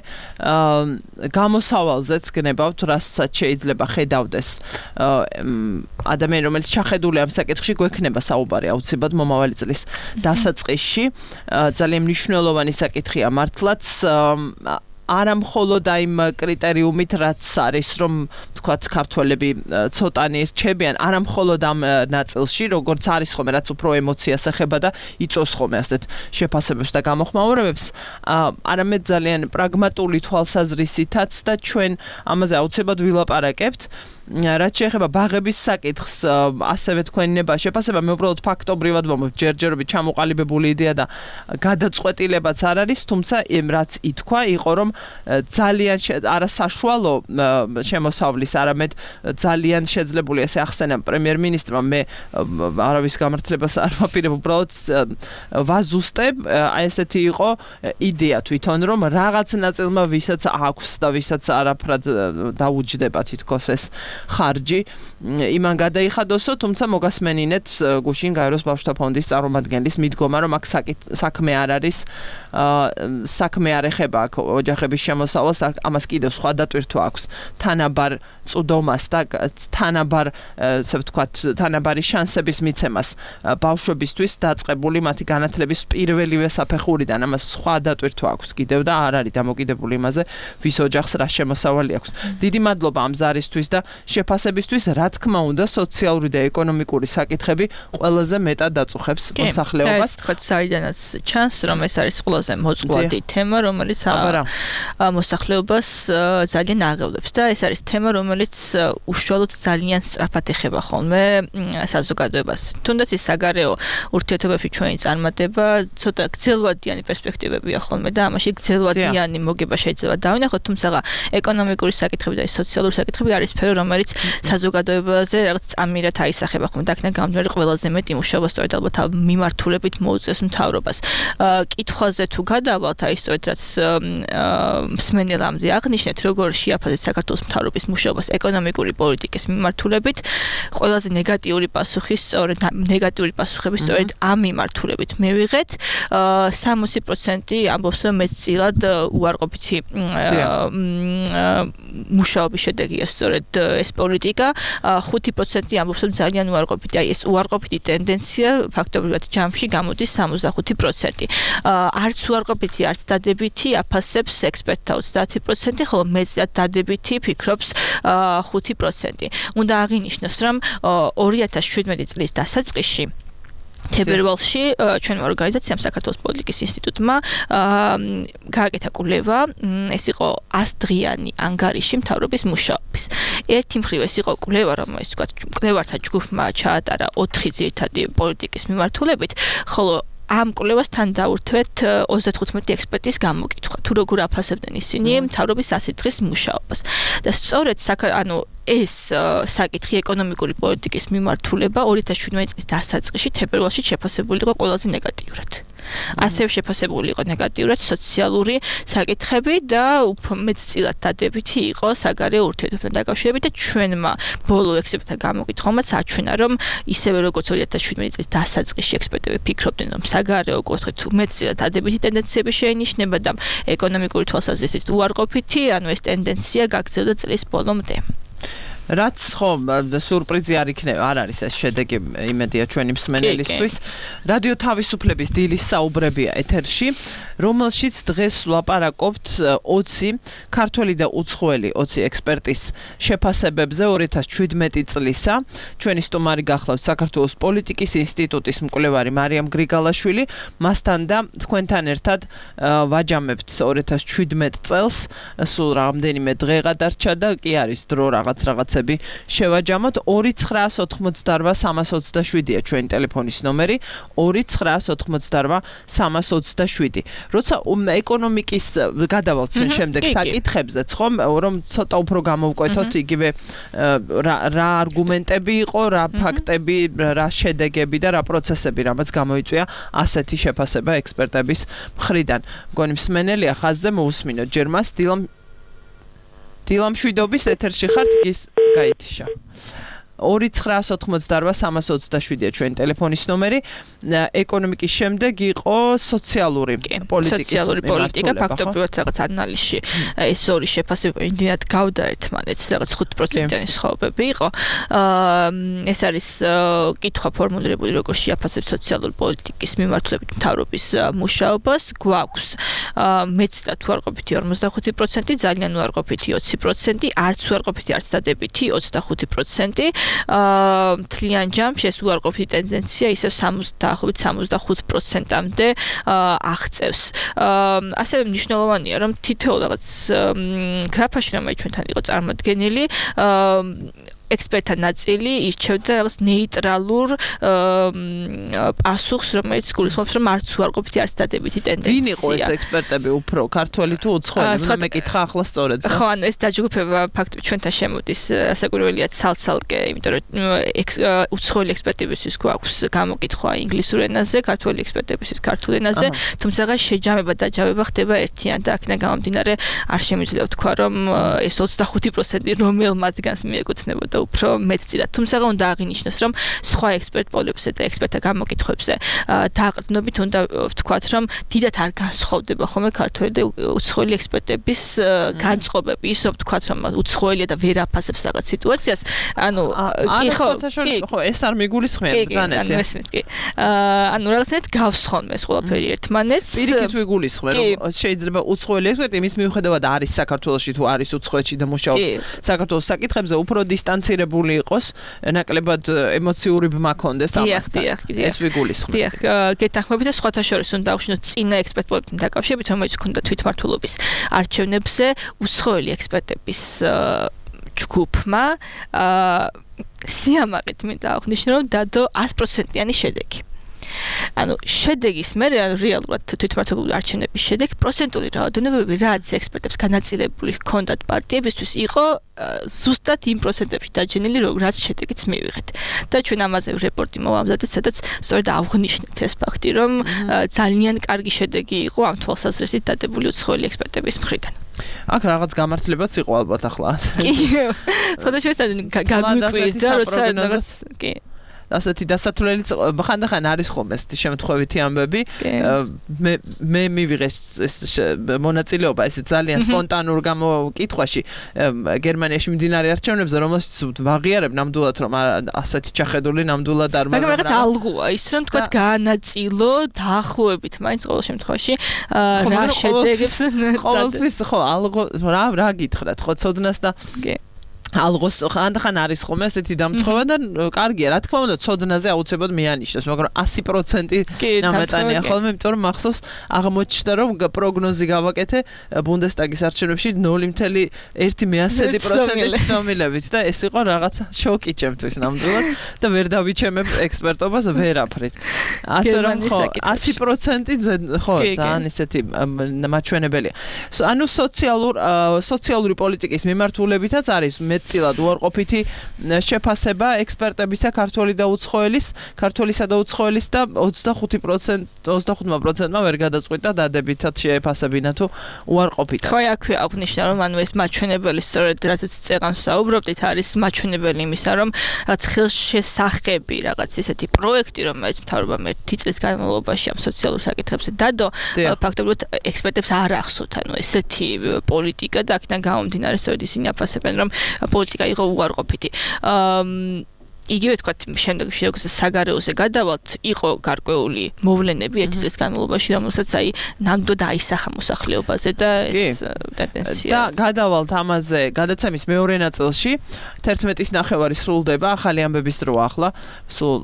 გამოსავალზეც გნებავთ რასაც შეიძლება ხედავდეს ადამიანი რომელიც ჩახედული ამ საკითხში გვექნება საუბარი აუცილებლად მომავალი წლის დასაწყისში ძალიან მნიშვნელოვანი საკითხია მართლაც არა მხოლოდ იმ კრიტერიუმით რაც არის რომ თქვათ ქართველები ცოტანი რჩებიან არა მხოლოდ ამ ნაწილში როგორც არის ხოლმე რაც უფრო ემოციას ეხება და იწოს ხოლმე ასეთ შეფასებებს და გამოხმაურებებს არამედ ძალიან პრაგმატული თვალსაზრისითაც და ჩვენ ამაზე აუცილებლად ვილაპარაკებთ რაც შეეხება ბაღების საკითხს ასევე თქვენინება შეფასება მე უბრალოდ ფაქტობრივად ვამბობ ჯერჯერობით ჩამოყალიბებული იდეა და გადაწყვეტილებაც არ არის თუმცა რაც ითქვა იყო რომ ძალიან არასაშუალო შემოსავლის არამედ ძალიან შეძლებული ესე ახსენა პრემიერ-მინისტრმა მე არავის გამართლებას არ ვაპირებ უბრალოდ ვაზუსტებ აი ესეთი იყო იდეა თვითონ რომ რაღაც ნაწილმა ვისაც აქვს და ვისაც არაფრად დაუჯდება თითქოს ეს ხარჯი იმან გადაიხადოსო თუმცა მოგასმენინეთ გუშინ გაეროს ბავშვთა ფონდის წარმომადგენლის მიდგომა რომ აქ საქმე არ არის საქმე არ ეხება აქ ოჯახების შემოსავალს ამას კიდევ სხვა დატვირთვა აქვს თანაბარ წვდომას და თანაბარ ასე ვთქვათ თანაბარი შანსების მიცემას ბავშვებისთვის დაწყებული მათი განათლების პირველივე საფეხურიდან ამას სხვა დატვირთვა აქვს კიდევ და არ არის დამოკიდებული იმაზე ვის ოჯახს რა შემოსავალი აქვს დიდი მადლობა ამ ზარისთვის და შეფასებისთვის რა თქმა უნდა სოციალური და ეკონომიკური საკითხები ყველაზე მეტად დაწუხებს მოსახლეობას თქვათ საიდანაც ჩანს რომ ეს არის ყველაზე მოწყვლადი თემა რომელიც მოსახლეობას ძალიან აღელვებს და ეს არის თემა რომელიც უშუალოდ ძალიან სწრაფად ეხება ხოლმე საზოგადოებას თუნდაც ის საგარეო ურთიერთობებში ჩვენი წარმატება ცოტა გრძელვადიანი პერსპექტივებია ხოლმე და ამაში გრძელვადიანი მოგება შეიძლება დავინახოთ თუმცა ეკონომიკური საკითხები და სოციალური საკითხები არის სფერო რომელიც საზოგადოებაზე რაღაც წამირად აისახება ხოლმე და აქედან გამომდინარე ყველაზე მეტი მუშაობა სწორედ ალბათ მიმართულებით მოუწევს მთავრობას კითხვაზე თუ გადავალთ აი სწორედ რაც მსმენელამდე აღნიშნეთ როგორ შეაფასეთ საქართველოს მთავრობის მუშაობას ეკონომიკური პოლიტიკის მიმართულებით ყველაზე ნეგატიური პასუხი სწორედ ნეგატიური პასუხები სწორედ ამ მიმართულებით მივიღეთ 60% ამბობს რომ მეტწილად უარყოფითი მუშაობის შედეგია სწორედ ეს პოლიტიკა 5% ამბობს რომ ძალიან უარყოფითი აი ეს უარყოფითი ტენდენცია ფაქტობრივად ჯამში გამოდის 65% არც უარყოფითი არც დადებითი აფასებს ექსპერტთა 30% ხოლო მეტად დადებითი ფიქრობს 5%. უნდა აღინიშნოს რომ 2017 წლის დასაწყისში თებერვალში ჩვენმა ორგანიზაციამ საქართველოს პოლიტიკის ინსტიტუტმა გააკეთა კვლევა ეს იყო 100 დღიანი ანგარიში მთავრობის მუშაობის ერთი მხრივ ეს იყო კვლევა რომელიც თქვა კვლევართა ჯგუფმა ჩაატარა 4 ძირითადი პოლიტიკის მიმართულებით ხოლო ამ კვლევასთან დაურთვეთ 35 ექსპერტის გამოკითხვა თუ როგორ აფასებდნენ ისინი მთავრობის 100 დღის მუშაობას და სწორედ ეს საკითხი ეკონომიკური პოლიტიკის მიმართულება 2017 წლის დასაწყისში თებერვალში შეფასებული იყო ყველაზე ნეგატიურად ასევე შეფასებული იყო ნეგატიურად სოციალური საკითხები და უფრო მეტწილად დადებითი იყო საგარეო ურთიერთობებთან დაკავშირებით და ჩვენმა ბოლო ექსპერტთა გამოკითხვამაც აჩვენა, რომ ისევე როგორც 2017 წლის დასაწყისში ექსპერტები ფიქრობდნენ, რომ საგარეო კუთხით მეტწილად დადებითი ტენდენციები შეინიშნება და ეკონომიკური თვალსაზრისით უარყოფითი, ანუ ეს ტენდენცია გაგრძელდა წლის ბოლომდე. რაც ხომ სურპრიზი არ იქნება, არ არის ეს შედეგი, იმედია ჩვენი მსმენელისთვის. რადიო თავისუფლების დილის საუბრებია ეთერში, რომელშიც დღეს ვლაპარაკობთ 20 ქართველი და უცხოელი 20 ექსპერტის შეფასებებზე 2017 წლისა. ჩვენი სტუმარი გახლავთ საქართველოს პოლიტიკის ინსტიტუტის მკვლევარი მარიამ გრიგალაშვილი. მასთან და თქვენთან ერთად ვაჯამებთ 2017 წელს, სულ რამდენიმე დღე გადარჩა და კი არის დრო რაღაცები შევაჯამოთ. 2988327-ია ჩვენი ტელეფონის ნომერი, 2988327. როცა ეკონომიკის გადავალთ ჩვენ შემდეგ საკითხებზეც, ხომ, რომ ცოტა უფრო გამოვკვეთოთ იგივე რა არგუმენტები იყო, რა ფაქტები, რა შედეგები და რა პროცესები, რამაც გამოიწვია ასეთი შეფასება ექსპერტების მხრიდან. მგონი მსმენელია ხაზზე, მოусმინოთ ჯერ მას. დილამშვიდობის ეთერში ხართ, გის გაითიშა. 2988327-ია ჩვენი ტელეფონის ნომერი. ეკონომიკის შემდეგ იყო სოციალური პოლიტიკა, ფაქტობრივად რაღაც ანალიზში ეს ორი შეფასება იმდენად გავდა ერთმანეთს, რაღაც 5%-იანი სხვაობები იყო. ეს არის კითხვა ფორმულირებული, როგორ შეაფასებს სოციალური პოლიტიკის მიმართულებით მთავრობის მუშაობას. გვაქვს მეტწილად უარყოფითი 45%, ძალიან უარყოფითი 20%, არც უარყოფითი, არც დადებითი 25%. მთლიან ჯამში ეს უარყოფითი ტენდენცია ისევ 65%-მდე აღწევს. ასევე მნიშვნელოვანია, რომ თითოეულ რაღაც გრაფაში, რომელიც ჩვენთან იყო წარმოდგენილი, ექსპერტთა ნაწილი ირჩევდა რაღაც ნეიტრალურ პასუხს, რომელიც გულისხმობს, რომ არც უარყოფითი, არც დადებითი ტენდენცია. ვინ იყო ეს ექსპერტები უფრო, ქართველი თუ უცხოელი? მე მეკითხა ახლა სწორედ. ხო, ანუ ეს დაჯგუფება ფაქტობრივად ჩვენთან შემოდის, ასაკურველია ცალ-ცალკე, იმიტომ რომ უცხოელი ექსპერტებისთვის გვაქვს გამოკითხვა ინგლისურ ენაზე, ქართველი ექსპერტებისთვის ქართულ ენაზე, თუმცა შეჯამება და დაჯავება ხდება ერთიან და აქედან გამომდინარე არ შემიძლია ვთქვა, რომ ეს 25% რომელ მათგანს მიეკუთვნებოდა უფრო მეტწილად. თუმცა უნდა აღინიშნოს, რომ სხვა ექსპერტ პოლებზე და ექსპერტთა გამოკითხვებზე დაყრდნობით უნდა ვთქვათ, რომ დიდად არ განსხვავდება ხოლმე ქართველი და უცხოელი ექსპერტების განწყობები. ის რომ ვთქვათ, რომ უცხოელია და ვერ აფასებს რაღაც სიტუაციას, ანუ ხო, ეს არ მიგულისხმია ბრძანეთ. ანუ რაღაცნაირად გავს ხოლმე ეს ყველაფერი ერთმანეთს. პირიქით ვიგულისხმე, რომ შეიძლება უცხოელი ექსპერტი მის მიუხედავად არის საქართველოში თუ არის უცხოეთში და მუშაობს საქართველოს საკითხებზე, უფრო დისტანცირებული იყოს, ნაკლებად ემოციური ბმა ქონდეს ამასთან. ეს ვიგულისხმე. დიახ, გეთანხმებით და სხვათა შორის უნდა დავშინოთ წინა ექსპერტ პოლიტიკთან დაკავშირებით, რომელიც ჰქონდა თვითმმართველობის არჩევნებზე უცხოელი ექსპერტების ჯგუფმა სიამაყით მინდა აღნიშნო, რომ დადო 100%-იანი შედეგი. ანუ შედეგის მერე რეალურად თვითმმართველობის არჩევნების შედეგი პროცენტული რაოდენობები, რაც ექსპერტებს განაწილებული ჰქონდათ პარტიებისთვის, იყო ზუსტად იმ პროცენტებში დაჯენილი, რაც შედეგიც მივიღეთ. და ჩვენ ამაზე რეპორტი მოვამზადეთ, სადაც სწორედ ავღნიშნეთ ეს ფაქტი, რომ ძალიან კარგი შედეგი იყო ამ თვალსაზრისით დადებული უცხოელი ექსპერტების მხრიდან. აქ რაღაც გამართლებაც იყო ალბათ ახლა. კი. სხვადასხვა გაგვიკვირდა, როცა რაღაც კი ასეთი დასათვლელი ხანდახან არის ხოლმე ესეთი შემთხვევითი ამბები. მე მივიღე ეს მონაწილეობა ესე ძალიან სპონტანურ გამოკითხვაში გერმანიაში მიმდინარე არჩევნებზე, რომელშიც ვაღიარებ ნამდვილად, რომ ასეთი ჩახედული ნამდვილად არ მაგრამ რაღაც ალღუა ის, რომ თქვა განაწილო დაახლოებით მაინც ყოველ შემთხვევაში რა შედეგებს ყოველთვის ხო ალღო რა გითხრათ ხო ცოდნას და ალღოს ხანდახან არის ხოლმე ესეთი დამთხევა და კარგია, რა თქმა უნდა, ცოდნაზე აუცილებლად მეანიშნოს, მაგრამ 100% ნამეტანია ხოლმე, იმიტომ რომ მახსოვს აღმოჩნდა, რომ პროგნოზი გავაკეთე ბუნდესტაგის არჩევნებში 0.1% ცნობილებით და ეს იყო რაღაცა შოკი ჩემთვის ნამდვილად და ვერ დავიჩემებ ექსპერტობას ვერაფრით. ასე რომ ხო 100% ხო ძალიან ისეთი მაჩვენებელია. ანუ სოციალური პოლიტიკის მიმართულებითაც არის მეტწილად უარყოფითი შეფასება ექსპერტებისა ქართველისა და უცხოელის და 25%-მა ვერ გადაწყვიტა დადებითად შეეფასებინა თუ უარყოფითად. ხო, აქვე აღნიშნა, რომ ანუ ეს მაჩვენებელი სწორედ რაზეც წეგანს საუბრობდით, არის მაჩვენებელი იმისა, რომ რაც ხელშესახები რაღაც ესეთი პროექტი, რომელიც მთავრობამ 1 წლის განმავლობაში ამ სოციალურ საკითხებზე დადო, ფაქტობრივად ექსპერტებს არ ახსოვთ, ანუ ესეთი პოლიტიკა და აქედან გამომდინარე სწორედ ისინი აფასებენ, რომ პოლიტიკა იყო უარყოფითი. იგივე თქვათ შემდეგში როგორც საგარეოზე გადავალთ, იყო გარკვეული მოვლენები 1 წლის განმავლობაში, რომელსაც ნამდვილად აისახა მოსახლეობაზე და ეს ტენდენცია. და გადავალთ ამაზე გადაცემის მეორე ნაწილში 11:30 სრულდება ახალი ამბების დრო ახლა. სულ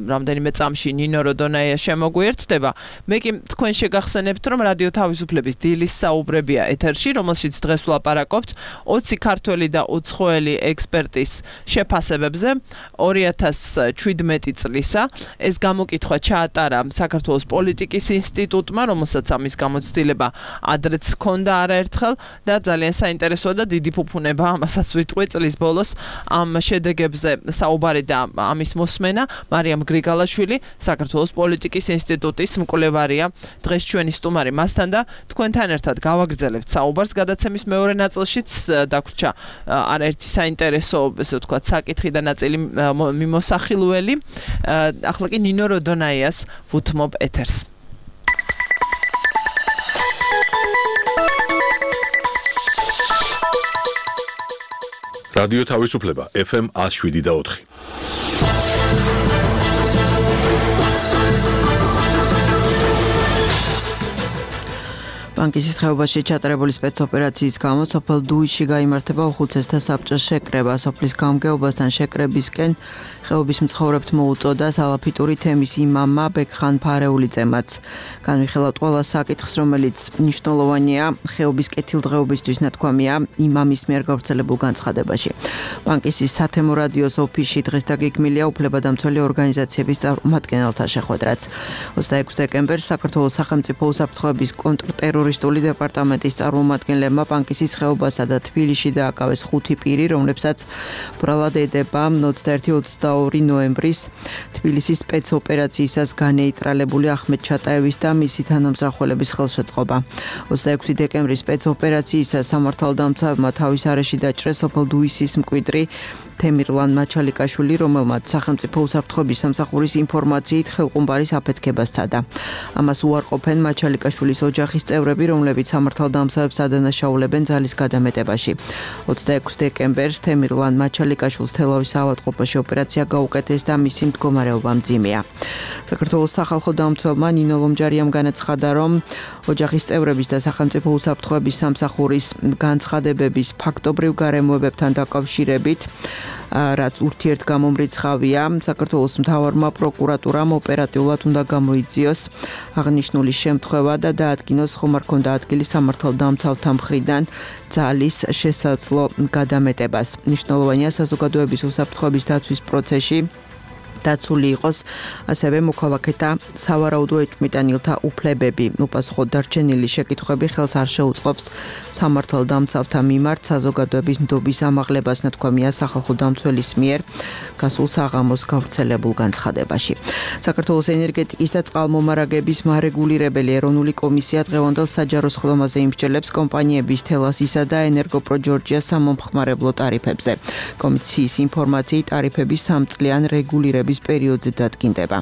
რამდენიმე წამში ნინო როდონაია შემოგვიერთდება. მე კი თქვენ შეგახსენებთ, რომ რადიო თავისუფლების დილის საუბრებია ეთერში, რომელშიც დღეს ვლაპარაკობთ 20 ქართველი და უცხოელი ექსპერტის შეფასებებზე 2017 წლისა. ეს გამოკითხვა ჩაატარა საქართველოს პოლიტიკის ინსტიტუტმა, რომელსაც ამის გამოცდილება ადრეც ჰქონდა არაერთხელ და ძალიან საინტერესოა და დიდი ფუფუნება ამასაც ვიტყვი წლის ბოლოს ამ შედეგებზე საუბარი და ამის მოსმენა. მარიამ გრიგალაშვილი, საქართველოს პოლიტიკის ინსტიტუტის მკვლევარია, დღეს ჩვენი სტუმარი მასთან და თქვენთან ერთად გავაგრძელებთ საუბარს გადაცემის მეორე ნაწილშიც დაგვრჩა არაერთი საინტერესო, ესე ვთქვათ, საკითხი და ნაწილი მიმოსახილველი. ახლა კი ნინო როდონაიას ვუთმობ ეთერს. რადიო თავისუფლება FM 107.4. ბანკის ხეობაში ჩატარებული სპეცოპერაციის გამო სოფელ დუიში გაიმართება უხუცესთა საბჭოს შეკრება. სოფლის გამგეობასთან შეკრებისკენ ხეობის მცხოვრებთ მოუწოდა სალაფიტური თემის იმამა ბექხან ფარეულიძემაც. განვიხილავთ ყველა საკითხს, რომელიც მნიშვნელოვანია ხეობის კეთილდღეობისთვის ნათქვამია იმამის მიერ გავრცელებულ განცხადებაში. ბანკის სათემო რადიოს ოფისში დღეს დაგეგმილია უფლებადამცველი ორგანიზაციების წარმომადგენელთა შეხვედრაც. 26 დეკემბერს საქართველოს სახელმწიფო უსაფრთხოების კონტრტერორისტული დეპარტამენტის წარმომადგენლებმა ბანკის ხეობასა და თბილისში დააკავეს 5 პირი, რომლებსაც ბრალად ედება 21-22 ნოემბრის თბილისის სპეცოპერაციისას განეიტრალებული ახმედ ჩატაევის და მისი თანამსახველების ხელშეწყობა. 26 დეკემბრის სპეცოპერაციისას სამართალდამცავმა თავის არეში დაჭრეს სოფელ დუისის მკვიდრი თემირლან მაჩალიკაშვილი, რომელმაც სახელმწიფო უსაფრთხოების სამსახურის ინფორმაციით ხელყუმბარის აფეთქებას სცადა. ამას უარყოფენ მაჩალიკაშვილის ოჯახის წევრები, რომლებიც სამართალდამცავებს ადანაშაულებენ ძალის გადამეტებაში. 26 დეკემბერს თემირლან მაჩალიკაშვილს თელავის ავადმყოფოში ოპერაცია გაუკეთეს და მისი მდგომარეობა მძიმეა. საქართველოს სახალხო დამცველმა ნინო ლომჯარიამ განაცხადა, რომ ოჯახის წევრების და სახელმწიფო უსაფრთხოების სამსახურის განცხადებების ფაქტობრივ გარემოებებთან დაკავშირებით რაც ურთიერთგამომრიცხავია, საქართველოს მთავარმა პროკურატურამ ოპერატიულად უნდა გამოიძიოს აღნიშნული შემთხვევა და დაადგინოს ხომ არ ქონდა ადგილი სამართალდამცავთა მხრიდან ძალის შესაძლო გადამეტებას. მნიშვნელოვანია საზოგადოების უსაფრთხოების დაცვის პროცესში დაცული იყოს ასევე მოქალაქეთა სავარაუდო ეჭვმიტანილთა უფლებები. უპასუხოდ დარჩენილი შეკითხვები ხელს არ შეუწყობს სამართალდამცავთა მიმართ საზოგადოების ნდობის ამაღლებას, ნათქვამია სახალხო დამცველის მიერ გასულ საღამოს გავრცელებულ განცხადებაში. საქართველოს ენერგეტიკის და წყალმომარაგების მარეგულირებელი ეროვნული კომისია დღევანდელ საჯარო სხდომაზე იმსჯელებს კომპანიების თელასისა და ენერგოპრო ჯორჯიას სამომხმარებლო ტარიფებზე. კომისიის ინფორმაციით ტარიფების 3 წლიან რეგულირების პერიოდზე დადგინდება.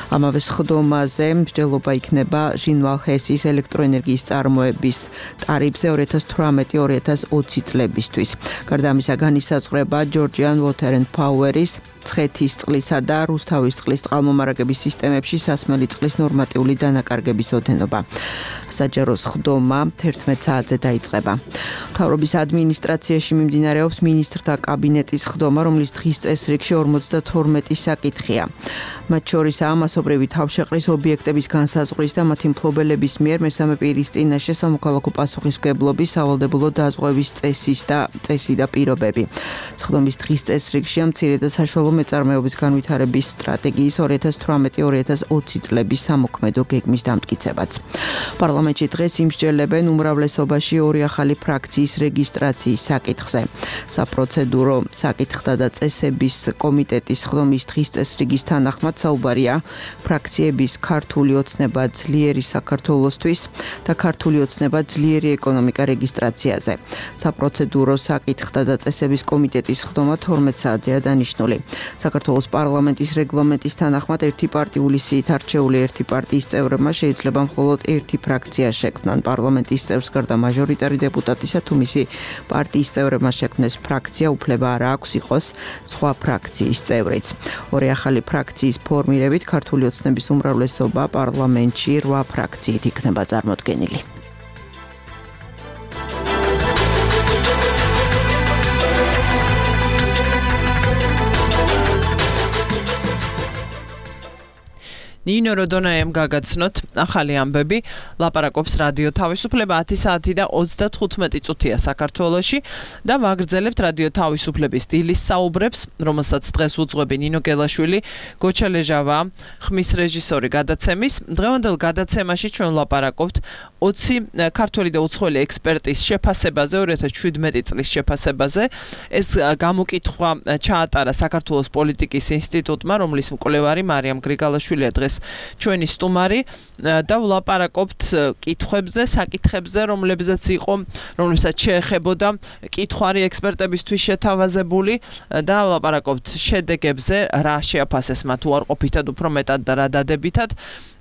ამავე სხდომაზე მსჯელობა იქნება ჟინვალ ჰესის ელექტროენერგიის წარმოების ტარიფზე 2018-2020 წლებისთვის. გარდა ამისა განისაზღვრება ჯორჯიან Water and Power-ის ცხეთის წყლისა და რუსთავის წყლის წყალმომარაგების სისტემებში სასმელი წყლის ნორმატიული დანაკარგების ოდენობა. საჯარო სხდომა 11 საათზე დაიწყება. მთავრობის ადმინისტრაციაში მიმდინარეობს მინისტრთა კაბინეტის სხდომა, რომლის დღის წესრიგში 52 საკითხი საკითხია. მათ შორისაა მასობრივი თავშეყრის ობიექტების განსაზღვრის და მათი მფლობელების მიერ მესამე პირის წინაშე სამოქალაქო პასუხისმგებლობის სავალდებულო დაზღვევის წესი და პირობები. სხდომის დღის წესრიგშია მცირე და საშუალო მეწარმეობის განვითარების სტრატეგიის 2018-2020 წლების სამოქმედო გეგმის დამტკიცებაც. პარლამენტში დღეს იმსჯელებენ უმრავლესობაში ორი ახალი ფრაქციის რეგისტრაციის საკითხზე. საპროცედურო საკითხთა და წესების კომიტეტის სხდომის დღის წესრიგის თანახმად საუბარია ფრაქციების ქართული ოცნება ძლიერი საქართველოსთვის და ქართული ოცნება ძლიერი ეკონომიკა რეგისტრაციაზე. საპროცედურო საკითხთა და წესების კომიტეტის სხდომა 12 საათზეა დანიშნული. საქართველოს პარლამენტის რეგლამენტის თანახმად ერთი პარტიული სიით არჩეული ერთი პარტიის წევრებმა შეიძლება მხოლოდ ერთი ფრაქცია შექმნან. პარლამენტის წევრს გარდა მაჟორიტარი დეპუტატისა თუ მისი პარტიის წევრებმა შექმნეს ფრაქცია უფლება არ აქვს იყოს სხვა ფრაქციის წევრიც. ორი ახალი ფრაქციის ფორმირებით ქართული ოცნების უმრავლესობა პარლამენტში 8 ფრაქციით იქნება წარმოდგენილი. ნინო როდონაიამ გაგაცნოთ ახალი ამბები, ლაპარაკობს რადიო თავისუფლება 10 საათი და 35 წუთია საქართველოში და ვაგრძელებთ რადიო თავისუფლების დილის საუბრებს, რომელსაც დღეს უძღვები ნინო გელაშვილი, გოჩა ლეჟავა, ხმის რეჟისორი გადაცემის. დღევანდელ გადაცემაში ჩვენ ლაპარაკობთ 20 ქართველი და უცხოელი ექსპერტის შეფასებაზე, 2017 წლის შეფასებაზე. ეს გამოკითხვა ჩაატარა საქართველოს პოლიტიკის ინსტიტუტმა, რომლის მკვლევარი მარიამ გრიგალაშვილია დღეს ჩვენი სტუმარი და ვლაპარაკობთ კითხვებზე, საკითხებზე, რომლებსაც შეეხებოდა კითხვარი ექსპერტებისთვის შეთავაზებული და ვლაპარაკობთ შედეგებზე, რა შეაფასეს მათ უარყოფითად, უფრო მეტად და რა დადებითად.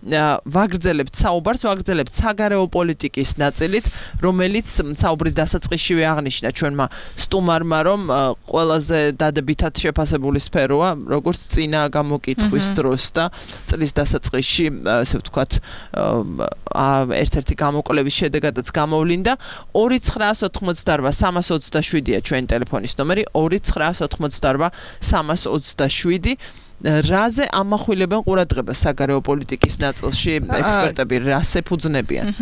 ვაგრძელებთ საუბარს, ვაგრძელებთ საგარეო პოლიტიკის ნაწილით, რომელიც საუბრის დასაწყისშივე აღნიშნა ჩვენმა სტუმარმა, რომ ყველაზე დადებითად შეფასებული სფეროა, როგორც წინა გამოკითხვის დროს და წლის დასაწყისში, ასე ვთქვათ, ერთ-ერთი გამოკვლევის შედეგადაც გამოვლინდა. 2988327-ია ჩვენი ტელეფონის ნომერი, 2988327. რაზე ამახვილებენ ყურადღებას საგარეო პოლიტიკის ნაწილში ექსპერტები, რას ეფუძნებიან?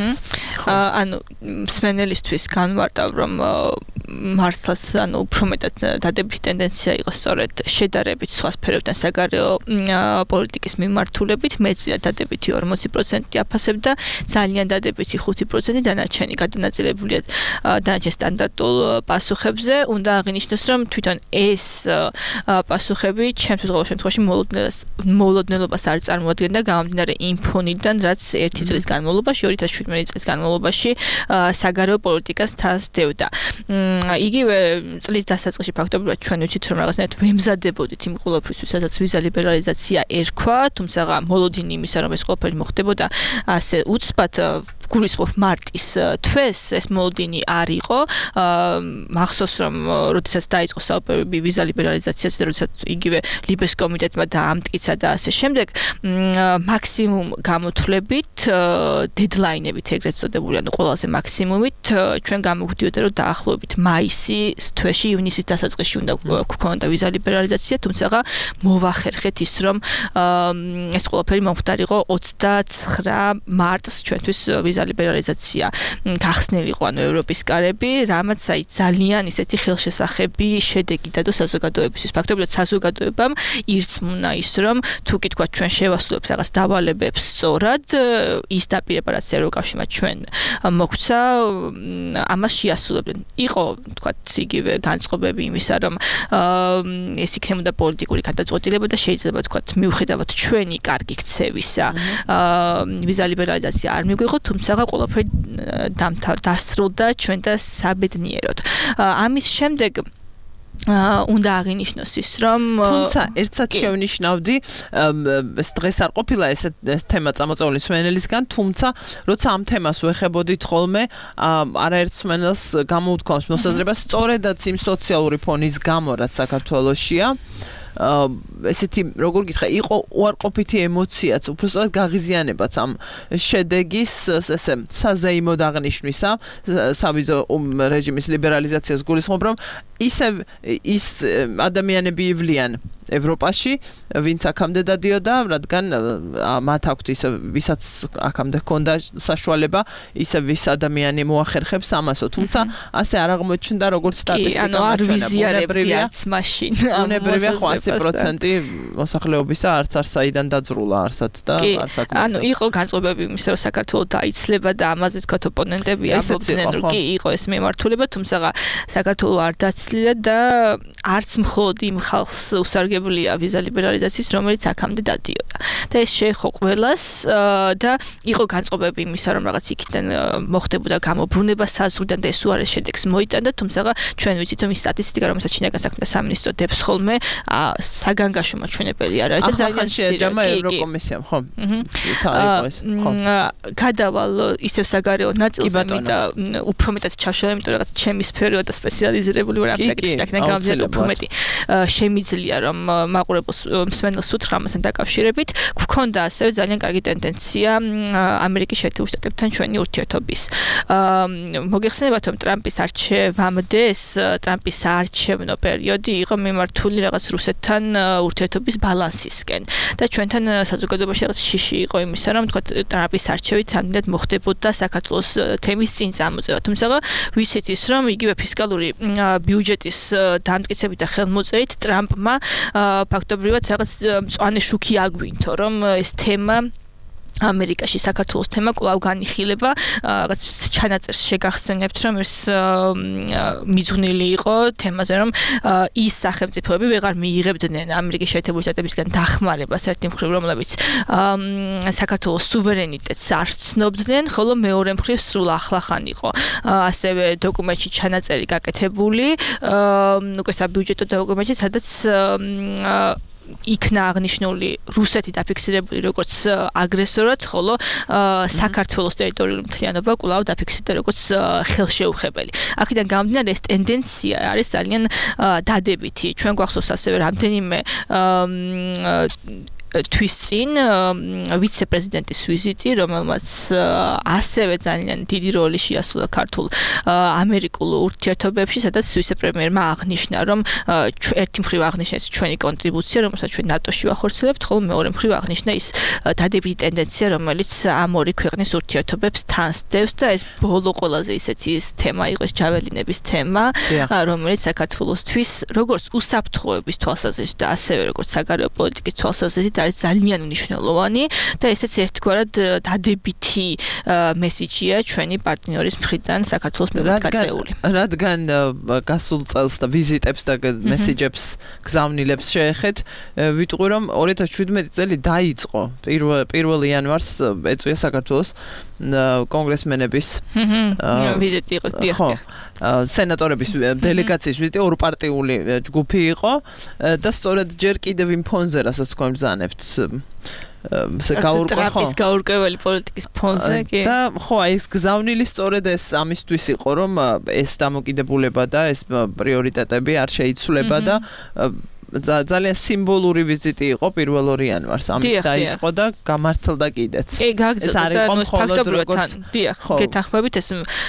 ანუ მსმენელისთვის განვარტავ, რომ მართლაც უფრო მეტად დადებითი ტენდენცია იყოს სწორედ შედარებით სხვა სფეროებთან საგარეო პოლიტიკის მიმართულებით, მეცნიერად დადებითი 40% აფასებდა, ძალიან დადებითი 5% დანარჩენი გადანაწილებულია დანარჩენ სტანდარტულ პასუხებზე. უნდა აღინიშნოს, რომ თვითონ ეს პასუხები ჩემთვის ყოველ შემთხვევაში მოულოდნელობას არ წარმოადგენდა გამომდინარე იმ ფონიდან, რაც 1 წლის განმავლობაში, 2017 წლის განმავლობაში საგარეო პოლიტიკას თავს დევდა. იგივე წლის დასაწყისში ფაქტობრივად ჩვენ ვიცით, რომ რაღაცნაირად ვემზადებოდით იმ ყველაფრისთვის, სადაც ვიზა ლიბერალიზაცია ერქვა, თუმცა მოლოდინი იმისა, რომ ეს ყველაფერი მოხდებოდა ასე უცბად გულისხმობ მარტის თვეს, ეს მოლოდინი არ იყო. მახსოვს, რომ როდესაც დაიწყო საუბარი ვიზა ლიბერალიზაციაზე, როდესაც იგივე ლიბეს კომიტეტმა დაამტკიცა და ასე შემდეგ, მაქსიმუმ გამოთვლებით, დედლაინებით ეგრეთ წოდებული, ანუ ყველაზე მაქსიმუმით ჩვენ გამოგვდიოდა, რომ დაახლოებით მაისის თვეში, ივნისის დასაწყისში უნდა გქონოდა ვიზა ლიბერალიზაცია, თუმცა მოვახერხეთ ის, რომ ეს ყველაფერი მომხდარიყო 29 მარტს ჩვენთვის ვიზა ლიბერალიზაცია გახსნილიყო, ანუ ევროპის კარები, რამაც ძალიან ისეთი ხელშესახები შედეგი დადო საზოგადოებისთვის. ფაქტობრივად საზოგადოებამ ირწმუნა ის, რომ თუ კი თქვა ჩვენ შევასრულებთ რაღაც დავალებებს სწორად, ის დაპირება, რაც ევროკავშირმა ჩვენ მოგვცა, ამას შეასრულებდნენ. იყო თქვა იგივე განწყობები იმისა, რომ ეს იქნებოდა პოლიტიკური გადაწყვეტილება და შეიძლება თქვა მიუხედავად ჩვენი კარგი ქცევისა, ვიზა ლიბერალიზაცია არ მიგვიღო, თუმცა ყველაფერი დასრულდა ჩვენ და საბედნიეროდ. ამის შემდეგ უნდა აღინიშნოს ის, რომ თუმცა ერთსაც შევნიშნავდი, დღეს არ ყოფილა ეს თემა წამოწეული მსმენელისგან, თუმცა როცა ამ თემას ვეხებოდით ხოლმე, არაერთ მსმენელს გამოუთქვამს მოსაზრებას სწორედაც იმ სოციალური ფონის გამო, რაც საქართველოშია, ესეთი როგორ გითხრა, იყო უარყოფითი ემოციაც, უბრალოდ გაღიზიანებაც ამ შედეგის ესე საზეიმოდ აღნიშვნისა, სავიზო რეჟიმის ლიბერალიზაციას გულისხმობ, რომ ისევ ის ადამიანები ივლიან ევროპაში, ვინც აქამდე დადიოდა, რადგან მათ აქვთ ისე ვისაც აქამდე ჰქონდა საშუალება, ისე ვის ადამიანი მოახერხებს ამასო, თუმცა ასე არ აღმოჩნდა როგორც სტატისტიკა. ანუ არ ვიზიარებდი არც მაშინ. უნებრივია ხო 100% მოსახლეობისა არც საიდან დაძრულა არსად და არც აქ. ანუ იყო განწყობები იმის რომ საქართველოს დაიცლება და ამაზე თქვა ოპონენტები ამბობდნენ რომ კი იყო ეს მიმართულება, თუმცა საქართველოს არ დაცლილა და არც მხოლოდ იმ ხალხს უსარგებლია ვიზა ლიბერალიზაციის, რომელიც აქამდე დადიოდა. და ეს შეეხო ყველას და იყო განწყობები იმისა, რომ რაღაც იქიდან მოხდებოდა გამობრუნება საზღვრიდან და ეს უარეს შედეგს მოიტანდა, თუმცა ჩვენ ვიცით რომ ის სტატისტიკა, რომელსაც შინაგან საქმეთა სამინისტრო დებს ხოლმე, საგანგაშო მაჩვენებელი არ არის და ძალიან შეეჯამა ევროკომისიამ, ხო? გადავალ ისევ საგარეო ნაწილზე და უფრო მეტად ჩავშალე, იმიტომ რომ რაღაც ჩემი სფერო და სპეციალიზირებული ვარ ამ საკითხში, აქედან გამომდინარე უფრო მეტი შემიძლია რომ მაყურებელს მსმენელს უთხრა ამასთან დაკავშირებით, გვქონდა ასევე ძალიან კარგი ტენდენცია ამერიკის შეერთებულ შტატებთან ჩვენი ურთიერთობის. მოგეხსენებათ რომ ტრამპის არჩევამდე ეს ტრამპის არჩევნო პერიოდი იყო მიმართული რაღაც რუსეთთან ურთიერთობის ბალანსისკენ და ჩვენთან საზოგადოებაში რაღაც შიში იყო იმისა, რომ თქვა ტრამპის არჩევით ამდენად მოხდებოდა საქართველოს თემის წინ წამოწევა. თუმცა ვიცით ის, რომ იგივე ფისკალური ბიუჯეტის დამტკიცებით და ხელმოწერით ტრამპმა ფაქტობრივად რაღაც მწვანე შუქი აგვინთო, რომ ეს თემა ამერიკაში საქართველოს თემა კვლავ განიხილება, რაღაც ჩანაწერს შეგახსენებთ, რომ ეს მიძღვნილი იყო თემაზე, რომ ის სახელმწიფოები ვეღარ მიიღებდნენ ამერიკის შეერთებული შტატებისგან დახმარებას ერთი მხრივ, რომლებიც საქართველოს სუვერენიტეტს არ ცნობდნენ, ხოლო მეორე მხრივ სრულ ახლახან იყო. ასევე დოკუმენტში ჩანაწერი გაკეთებული, უკვე საბიუჯეტო დოკუმენტში, სადაც იქნა აღნიშნული რუსეთი დაფიქსირებული როგორც აგრესორად, ხოლო საქართველოს ტერიტორიული მთლიანობა კვლავ დაფიქსირდა როგორც ხელშეუხებელი. აქედან გამომდინარე ეს ტენდენცია არის ძალიან დადებითი. ჩვენ გვახსოვს ასევე რამდენიმე თვის წინ ვიცე-პრეზიდენტის ვიზიტი, რომელმაც ასევე ძალიან დიდი როლი შეასრულა ქართულ ამერიკულ ურთიერთობებში, სადაც ვიცე-პრემიერმა აღნიშნა, რომ ერთი მხრივ აღნიშნა ეს ჩვენი კონტრიბუცია, რომელსაც ჩვენ ნატოში ვახორციელებთ, ხოლო მეორე მხრივ აღნიშნა ის დადებითი ტენდენცია, რომელიც ამ ორი ქვეყნის ურთიერთობებს თანსდევს და ეს ბოლო ყველაზე ისეთი თემა იყო, ეს ჯაველინების თემა, რომელიც საქართველოსთვის როგორც უსაფრთხოების თვალსაზრისით და ასევე როგორც საგარეო პოლიტიკის თვალსაზრისით არის ძალიან მნიშვნელოვანი და ესეც ერთგვარად დადებითი მესიჯია ჩვენი პარტნიორის მხრიდან საქართველოს მიმართ გაწეული. რადგან გასულ წელს და ვიზიტებს და მესიჯებს გზავნილებს შეეხეთ, ვიტყვი რომ 2017 წელი დაიწყო 1 იანვარს ეწვია საქართველოს კონგრესმენების ვიზიტი იყო, დიახ. სენატორების დელეგაციის ვიზიტი ორპარტიული ჯგუფი იყო და სწორედ ჯერ კიდევ იმ ფონზე, რასაც თქვენ ბრძანებთ, ტრამპის გაურკვეველი პოლიტიკის ფონზე, კი. და ხო, აი ეს გზავნილი სწორედ ეს ამისთვის იყო, რომ ეს დამოკიდებულება და ეს პრიორიტეტები არ შეიცვლება და ძალიან სიმბოლური ვიზიტი იყო 1 იანვარს. ამით დაიწყო და გამართლდა კიდეც. კი, გაგრძელდა და ეს ფაქტობრივად დიახ, გეთანხმებით ეს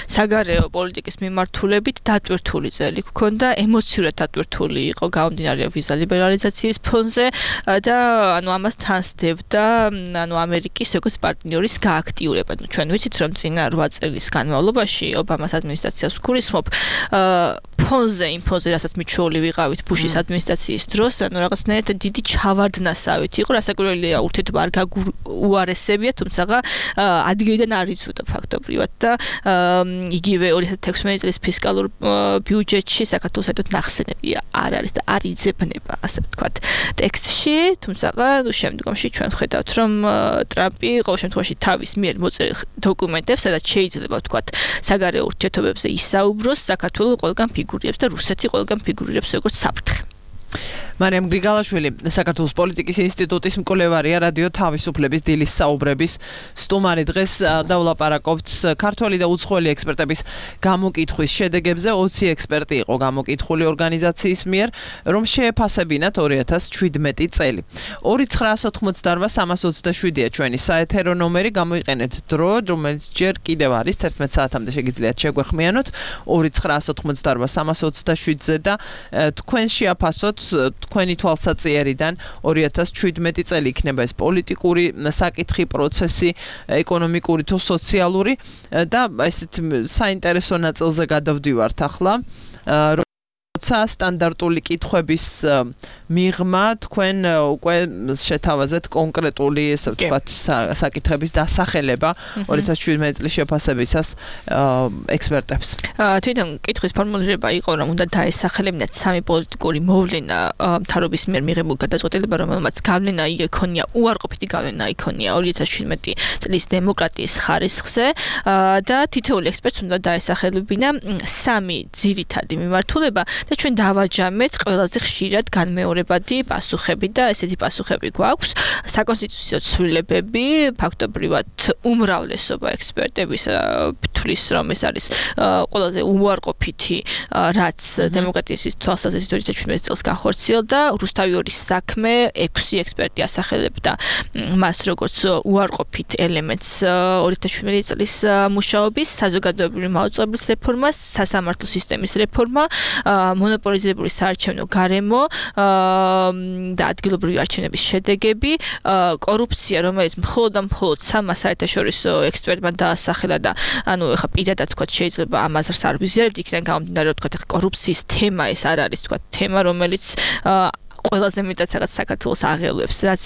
საგარეო პოლიტიკის მიმართულებით დატვირთული წელი გქონდა, ემოციურად დატვირთული იყო გამომდინარე ვიზა ლიბერალიზაციის ფონზე და ანუ ამას თანსდევდა ანუ ამერიკის როგორც პარტნიორის გააქტიურება. ჩვენ ვიცით რომ წინა 8 წლის განმავლობაში ობამას ადმინისტრაციას ვგულისხმობ ფონზე, იმ ფონზე, რასაც მიჩვეული ვიყავით ბუშის ადმინისტრაციის დროს, ანუ რაღაცნაირად დიდი ჩავარდნასავით იყო, რასაკვირველია ურთიერთობა არ გაგუარესებია, თუმცა ადგილიდან არ იცვოდა ფაქტობრივად და იგივე 2016 წლის ფისკალურ ბიუჯეტში საქართველოს საერთოდ ნახსენები არ არის და არ იძებნება, ასე ვთქვათ, ტექსტში, თუმცა შემდგომში ჩვენ ვხედავთ, რომ ტრამპი ყოველ შემთხვევაში თავის მიერ მოწერილ დოკუმენტებს, სადაც შეიძლება ვთქვათ, საგარეო ურთიერთობებზე ისაუბროს, საქართველოს ყველგან ფიგურირებს და რუსეთი ყველგან ფიგურირებს როგორც საფრთხე. მარიამ გრიგალაშვილი საქართველოს პოლიტიკის ინსტიტუტის მკვლევარია რადიო თავისუფლების დილის საუბრების სტუმარი დღეს დავლაპარაკობთ ქართველი და უცხოელი ექსპერტების გამოკითხვის შედეგებზე 20 ექსპერტი იყო გამოკითხული ორგანიზაციის მიერ რომ შეეფასებინათ 2017 წელი 2988-327-ია ჩვენი საეთერო ნომერი გამოიყენეთ დრო რომელიც ჯერ კიდევ არის 11 საათამდე შეგიძლიათ შეგვეხმიანოთ 2988-327-ზე და თქვენ შეაფასოთ თქვენი თვალსაჩინარიდან 2017 წელი იქნება ეს პოლიტიკური საკითხი, პროცესი, ეკონომიკური თუ სოციალური და ესეთ საინტერესო ნაწილზე გადავდივართ ახლა. როცა სტანდარტული კითხვების მიღმა თქვენ უკვე შეთავაზეთ კონკრეტული ესე ვთქვათ საკითხების დასახელება 2017 წლის შეფასებისას ექსპერტებს. თვითონ კითხვის ფორმულირება იყო რომ უნდა დაესახელებინათ სამი პოლიტიკური მოვლენა მთავრობის მიერ მიღებულ გადაწყვეტილება რომელმაც გავლენა იქონია უარყოფითი გავლენა იქონია 2017 წლის დემოკრატიის ხარისხზე და თითოეული ექსპერტს უნდა დაესახელებინა სამი ძირითადი მიმართულება და ჩვენ დავაჯამეთ ყველაზე ხშირად განმეორებადი პასუხები და ესეთი პასუხები გვაქვს საკონსტიტუციო ცვლილებები ფაქტობრივად უმრავლესობა ექსპერტების თვლის რომ ეს არის ყველაზე უარყოფითი რაც დემოკრატიის თვალსაზრისით 2017 წელს განხორციელდა რუსთავიორის საქმე 6 ექსპერტი ასახელებდა მას როგორც უარყოფით ელემენტს 2017 წლის მუშაობის საზოგადოებრივი მაუწყებლის რეფორმა სასამართლო სისტემის რეფორმა მონოპოლიზებული საარჩევნო გარემო და ადგილობრივი არჩევნების შედეგები, კორუფცია, რომელიც მხოლოდ სამმა საერთაშორისო ექსპერტმა დაასახელა და ანუ ეხა პირადად თქვა შეიძლება ამას არ ვიზიარებთ, იქიდან გამომდინარე რომ თქვა კორუფციის თემა ეს არ არის თქვა თემა, რომელიც ყველაზე მეტად რაღაც საქართველოს აღელვებს, რაც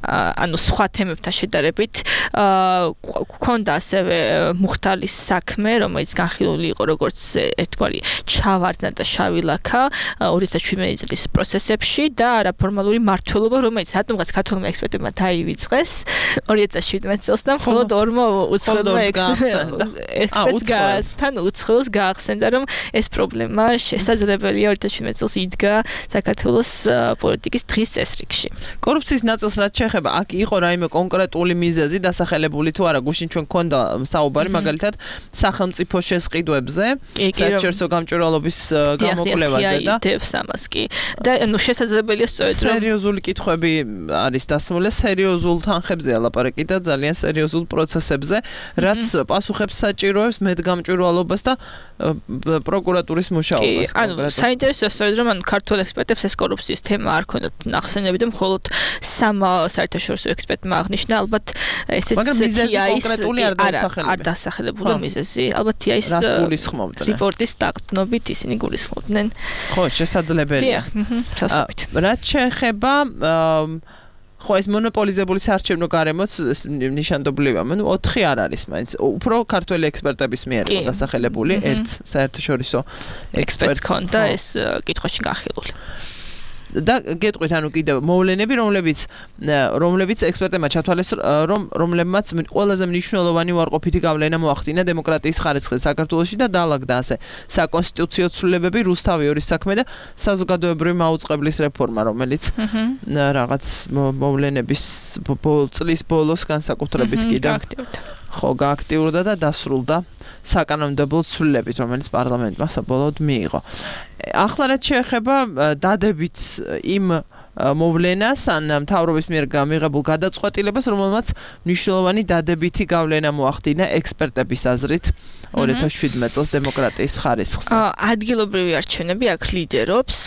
ანუ სხვა თემებთან შედარებით გქონდა ასევე მუხტალის საქმე, რომელიც განხილული იყო როგორც ერთგვარი ჩავარდნა და შავი ლაქა 2017 წლის პროცესებში და არაფორმალური მმართველობა, რომელიც რატომღაც ქართულმა ექსპერტებმა დაივიწყეს 2017 წელს და მხოლოდ ორმა უცხოელმა ექსპერტთან უცხოელს გაახსენდა, რომ ეს პრობლემა შესაძლებელია 2017 წელს იდგა საქართველოს პოლიტიკის დღის წესრიგში. კორუფციის ნაწილს რაც შეეხება აქ იყო რაიმე კონკრეტული მიზეზი დასახელებული თუ არა გუშინ ჩვენ გქონდა საუბარი მაგალითად სახელმწიფო შესყიდვებზე საერთაშორისო გამჭვირვალობის გამოკვლევაზე და დევს ამას კი და ნუ შესაძლებელია სწორედ რომ სერიოზული კითხვები არის დასმული სერიოზულ თანხებზეა ლაპარაკი და ძალიან სერიოზულ პროცესებზე რაც პასუხებს საჭიროებს მედგამჭვირვალობას და პროკურატურის მუშაობას. ანუ საინტერესოა სწორედ რომ ქართულ ექსპერტებს ეს კორუფციის თემა არ ქონდათ ნახსენები და მხოლოდ სამ საერთაშორისო ექსპერტმა აღნიშნა ალბათ ესეც არ დასახელებული მიზეზი ალბათ ის რიპორტის დაყრდნობით ისინი გულისხმობდნენ ხო შესაძლებელია რაც შეეხება ხო ეს მონოპოლიზებული საარჩევნო გარემოც ნიშანდობლივია 4 არ არის მაინც უფრო ქართველი ექსპერტების მიერ დასახელებული ერთ საერთაშორისო ექსპერტს ქონდა ეს კითხვაში განხილული და გეტყვით ანუ კიდევ მოვლენები რომლებიც ექსპერტებმა ჩათვალეს რომლებმაც ყველაზე მნიშვნელოვანი უარყოფითი გავლენა მოახდინა დემოკრატიის ხარისხზე საქართველოში და დაალაგდა ასე საკონსტიტუციო ცვლილებები რუსთავიორის საქმე და საზოგადოებრივი მაუწყებლის რეფორმა რომელიც რაღაც მოვლენების წლის ბოლოს განსაკუთრებით კიდევ ხო გააქტიურდა და დასრულდა საკანონმდებლო ცვლილებით რომელიც პარლამენტმა საბოლოოდ მიიღო. ახლა რაც შეეხება დადებით იმ მოვლენას ან მთავრობის მიერ გამიღებულ გადაწყვეტილებას რომელმაც მნიშვნელოვანი დადებითი გავლენა მოახდინა ექსპერტების აზრით 2017 წელს დემოკრატიის ხარისხზე. ადგილობრივი არჩევნები აქ ლიდერობს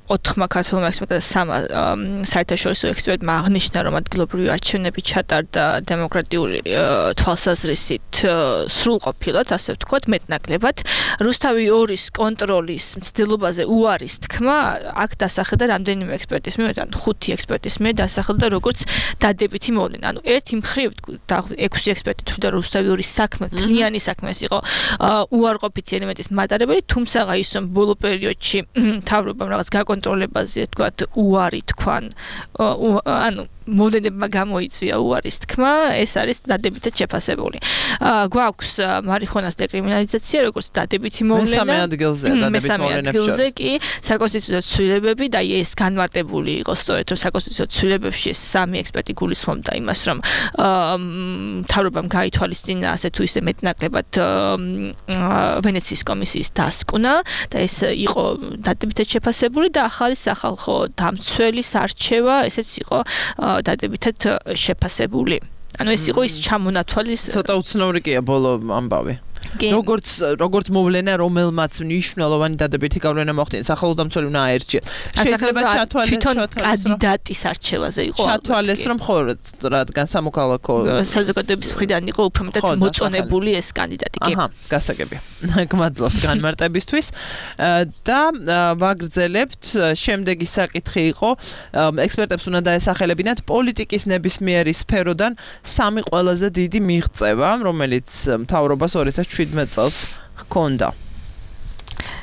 4 ქართულმა ექსპერტმა და 3 საერთაშორისო ექსპერტმა აღნიშნა რომ ადგილობრივი არჩევნები ჩატარდა დემოკრატიული თვალსაზრისით სრულყოფილად, ასე ვთქვათ, მეტნაკლებად. რუსთავი 2-ის კონტროლის მცდელობაზე უარის თქმა აქ დასახელდა რამდენიმე ექსპერტის მიერ, ან 5 ექსპერტის მიერ დასახელდა როგორც დადებითი მოვლენა. ანუ ერთი მხრივ 6 ექსპერტი თვლიდა რუსთავი 2-ის საქმე მთლიანი საქმე ეს იყო უარყოფითი ელემენტის მატარებელი, თუმცა ის რომ ბოლო პერიოდში მთავრობამ რაღაც გაკონტროლებაზე, თქვათ, უარი თქვან, ანუ მოდელებმა გამოიწვია უარის თქმა, ეს არის დადებითად შეფასებული. გვაქვს მარიხუანას დეკრიმინალიზაცია, როგორც დადებითი მოვლენა. მესამე ადგილზე კი საკონსტიტუციო ცვლილებები და ეს განმარტებული იყო სწორედ რომ საკონსტიტუციო ცვლილებებში სამი ექსპერტი გულისხმობდა იმას, რომ მთავრობამ გაითვალისწინა ასე თუ ისე მეტნაკლებად ვენეციის კომისიის დასკვნა და ეს იყო დადებითად შეფასებული და ახალი სახალხო დამცველის არჩევა, ესეც იყო დადებითად შეფასებული. ანუ ეს იყო ის ჩამონათვალის ცოტა უცნაური კია ბოლო ამბავი. როგორც მოვლენა, რომელმაც მნიშვნელოვანი დადებითი გავლენა მოახდინა სახელმწიფო უნდა აერჩიათ. შეიძლება თვითონ კანდიდატის არჩევაზე იყო ჩათვალეს, რომ ხო რადგან სამოქალაქო საზოგადოების მხრიდან იყო უფრო მეტად მოწონებული ეს კანდიდატი. აჰა, გასაგებია. გმადლობთ განმარტებისთვის და ვაგრძელებთ. შემდეგი საკითხი იყო, ექსპერტებს უნდა დაესახელებინათ პოლიტიკის ნებისმიერი სფეროდან სამი ყველაზე დიდი მიღწევა, რომელიც მთავრობას 2017 წელს ჰქონდა.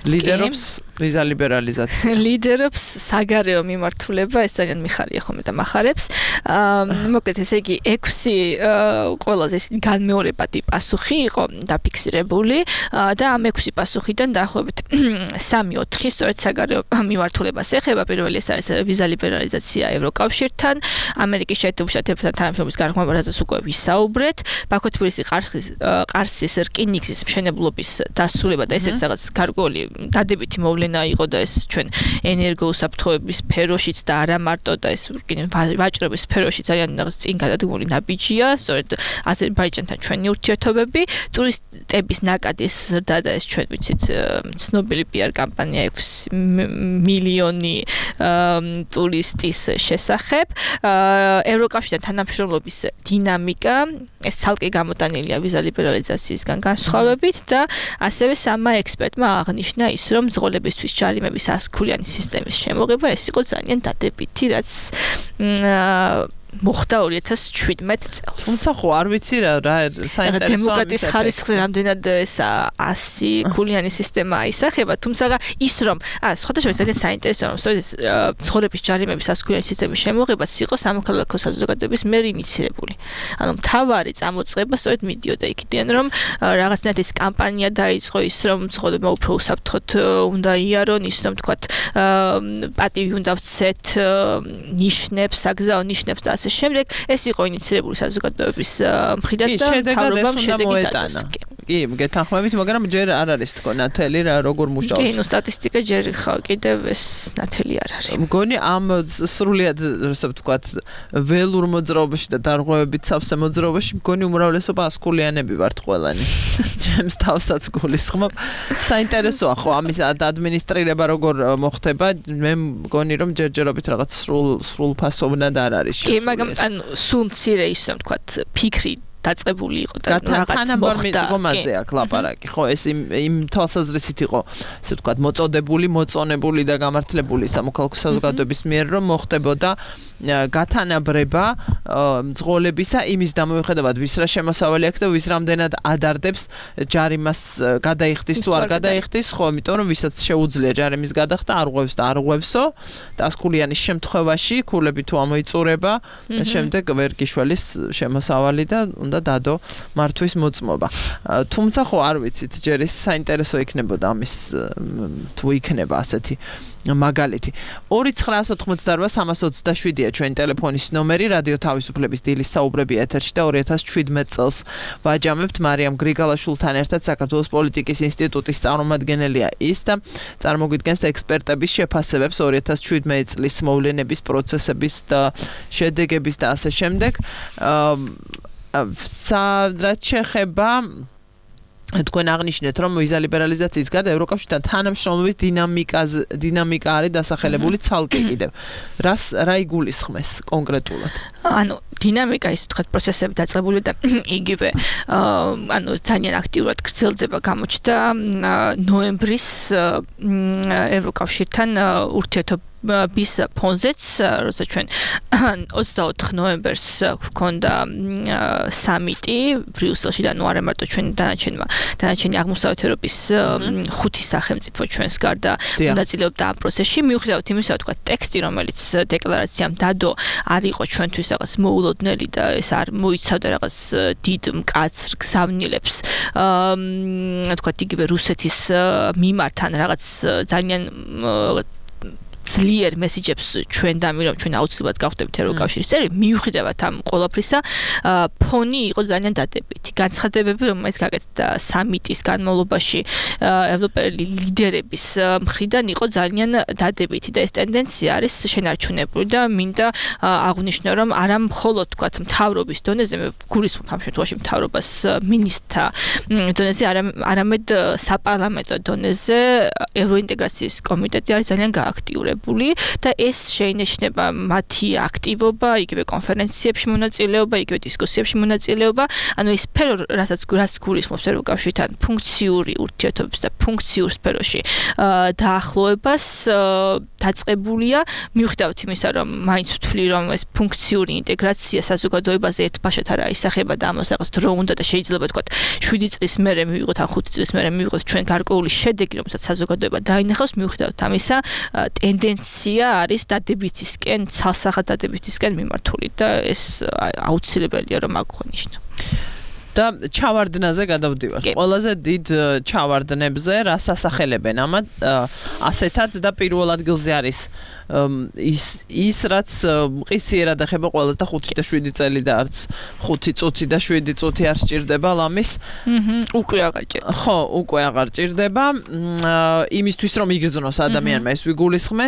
ლიდერობს ვიზა ლიბერალიზაცია. ლიდერობს საგარეო მიმართულება, ეს ძალიან მიხარია ხოლმე და მახარებს. მოკლედ ესე იგი 6 ყველაზე განმეორებადი პასუხი იყო დაფიქსირებული და ამ 6 პასუხიდან დაახლოებით 3-4 სწორედ საგარეო მიმართულებას ეხება. პირველი ეს არის ვიზა ლიბერალიზაცია ევროკავშირთან, ამერიკის შეერთებულ შტატებთან თანამშრომლობის გარღვევა, რაზეც უკვე ვისაუბრეთ, ბაქო-თბილისი ყარსის რკინიგზის მშენებლობის დასრულება და ესეც რაღაც გარკვეული დადებითი მოვლენა იყო და ეს ჩვენ ენერგოუსაფრთხოების სფეროშიც და არა მარტო და ეს ვაჭრობის სფეროში ძალიან წინ გადადგმული ნაბიჯია, სწორედ აზერბაიჯანთან ჩვენი ურთიერთობები, ტურისტების ნაკადის ზრდა და ეს ჩვენ ვიცით ცნობილი PR კამპანია 6 მილიონი ტურისტის შესახებ. ევროკავშირთან თანამშრომლობის დინამიკა, ეს ცალკე გამოტანილია ვიზა ლიბერალიზაციისგან განსხვავებით და ასევე სამა ექსპერტმა აღნიშნა ის, რომ მძღოლებისთვის ჯარიმების 100-ქულიანი სისტემის შემოღება ეს იყო ძალიან დადებითი, რაც მოხდა 2017 წელს. თუმცა ხო არ ვიცი რა საინტერესოა დემოკრატიის ხარისხზე რამდენად ეს 100-ქულიანი სისტემა აისახება, თუმცა ის რომ სხვადასხვა ძალიან საინტერესოა რომ სწორედ მძღოლების ჯარიმების 100-ქულიანი სისტემის შემოღებაც იყო სამოქალაქო საზოგადოების მიერ ინიცირებული. ანუ მთავარი წამოწყება სწორედ მიდიოდა იქიდან რომ რაღაცნაირად ეს კამპანია დაიწყო ის რომ მძღოლებმა უფრო უსაფრთხოდ უნდა იარონ, ის რომ თქვათ პატივი უნდა ვცეთ ნიშნებს, საგზაო ნიშნებს და ასე შემდეგ, ეს იყო ინიცირებული საზოგადოების მხრიდან და მთავრობამ შედეგი დადოს. კი, გეთანხმებით, მაგრამ ჯერ არ არის თქო ნათელი რა როგორ მუშაობს. კი, ნუ სტატისტიკა ჯერ ხა კიდევ ეს ნათელი არ არის. მგონი ამ სრულიად ასე ვთქვათ, ველურ მოძრაობაში და დარღვევებით სავსე მოძრაობაში მგონი უმრავლესობა 100-ქულიანები ვართ ყველანი. ჩემს თავსაც გულისხმობ. საინტერესოა ხო ამის ადმინისტრირება როგორ მოხდება, მე მგონი რომ ჯერჯერობით რაღაც სრულ ფასოვნად არ არის. კი, მაგრამ ანუ სულ მცირე ის რომ ვთქვათ, ფიქრი დაწყებული იყო და რაღაც მოხდა. გომაზე აქ ლაპარაკი, ხო, ეს იმ თვალსაზრისით იყო, ასე ვთქვათ, მოწოდებული, მოწონებული და გამართლებული სამოქალაქო საზოგადოების მიერ, რომ მოხდებოდა გათანაბრება მძღოლებისა იმის დამოიხედავად ვის რა შემოსავალი აქვს და ვის რამდენად ადარდებს ჯარიმას გადაიხდის თუ არ გადაიხდის, ხო, იმიტომ რომ ვისაც შეუძლია ჯარიმის გადახდა, არ ღვევს და არ ღვევსო და 100-ქულიანის შემთხვევაში ქულები თუ ამოიწურება, შემდეგ ვერ გიშველის შემოსავალი და უნდა დადო მართვის მოწმობა. თუმცა ხო არ ვიცით, ჯერ ის საინტერესო იქნებოდა ამის თუ იქნება ასეთი მაგალითი. 2988327-ია ჩვენი ტელეფონის ნომერი, რადიო თავისუფლების დილის საუბრები ეთერში და 2017 წელს ვაჯამებთ მარიამ გრიგალაშვილთან ერთად საქართველოს პოლიტიკის ინსტიტუტის წარმომადგენელია ის და წარმოგვიდგენს ექსპერტების შეფასებებს 2017 წლის მოვლენების, პროცესების და შედეგების და ასე შემდეგ. რაც შეეხება თქვენ აღნიშნეთ, რომ ვიზა ლიბერალიზაციის გარდა ევროკავშირთან თანამშრომლობის დინამიკა არის დასახელებული ცალკე კიდევ. რა იგულისხმეს კონკრეტულად? ანუ დინამიკა ის თქვათ პროცესები დაწყებული და იგივე ანუ ძალიან აქტიურად გრძელდება, გამოჩნდა ნოემბრის ევროკავშირთან ურთიერთობ bis ფონზეც, როცა ჩვენ 24 ნოემბერს გვქონდა სამიტი ბრიუსელში და ნუ არა მარტო ჩვენ დანარჩენი აღმოსავლეთ ევროპის 5 სახელმწიფო ჩვენს გარდა მონაწილეობდა ამ პროცესში, მიუხედავად იმისა, თქვა ტექსტი, რომელიც დეკლარაციამ დადო, არ იყო ჩვენთვის რაღაც მოულოდნელი და ეს არ მოიცავდა რაღაც დიდ მკაცრ გზავნილებს. თქვა იგივე რუსეთის მიმართ ან რაღაც ძალიან ძლიერ მესიჯებს ჩვენ დამირამ ჩვენ აუცილებლად გავხდებით ევროკავშირის წევრი, მიუხედავად ამ ყველაფრისა, ფონი იყო ძალიან დადებითი. განცხადებები, რომელიც გაკეთდა სამიტის განმავლობაში ევროპელი ლიდერების მხრიდან იყო ძალიან დადებითი და ეს ტენდენცია არის შენარჩუნებული და მინდა აღვნიშნო, რომ არა მხოლოდ თქვათ მთავრობის დონეზე, მე გულისხმობ ამ შემთხვევაში მთავრობას მინისტრთა დონეზე, არამედ საპარლამენტო დონეზე ევროინტეგრაციის კომიტეტი არის ძალიან გააქტიურებული. და ეს შეინიშნება მათი აქტივობა, იგივე კონფერენციებში მონაწილეობა, იგივე დისკუსიებში მონაწილეობა, ანუ ეს სფერო, რასაც გულისხმობს ევროკავშირთან ფუნქციური ურთიერთობებს და ფუნქციურ სფეროში დაახლოებას დაწყებულია, მიუხედავად იმისა, რომ მაინც ვთვლი, რომ ეს ფუნქციური ინტეგრაცია საზოგადოებაზე ერთბაშად არ აისახება და ამას რაღაც დრო უნდა და შეიძლება თქვა 7 წლის მერე მივიღოთ ან 5 წლის მერე მივიღოთ ჩვენ გარკვეული შედეგი, რომელსაც საზოგადოება დაინახავს, მიუხედავად ამისა ტენდენცია არის დადებითისკენ, ცალსახად დადებითისკენ მიმართული და ეს აუცილებელია რომ აღვნიშნო. და ჩავარდნაზე გადავდივართ. ყველაზე დიდ ჩავარდნებზე რას ასახელებენ ამათ ასეთად და პირველ ადგილზე არის ის რაც მყისიერად ეხება ყველას და 5 და 7 წელი და არც 5 წუთი და 7 წუთი არ სჭირდება ლამის. უკვე აღარ ჭირდება. ხო, უკვე აღარ ჭირდება. იმისთვის რომ იგრძნოს ადამიანმა ეს ვიგულისხმე,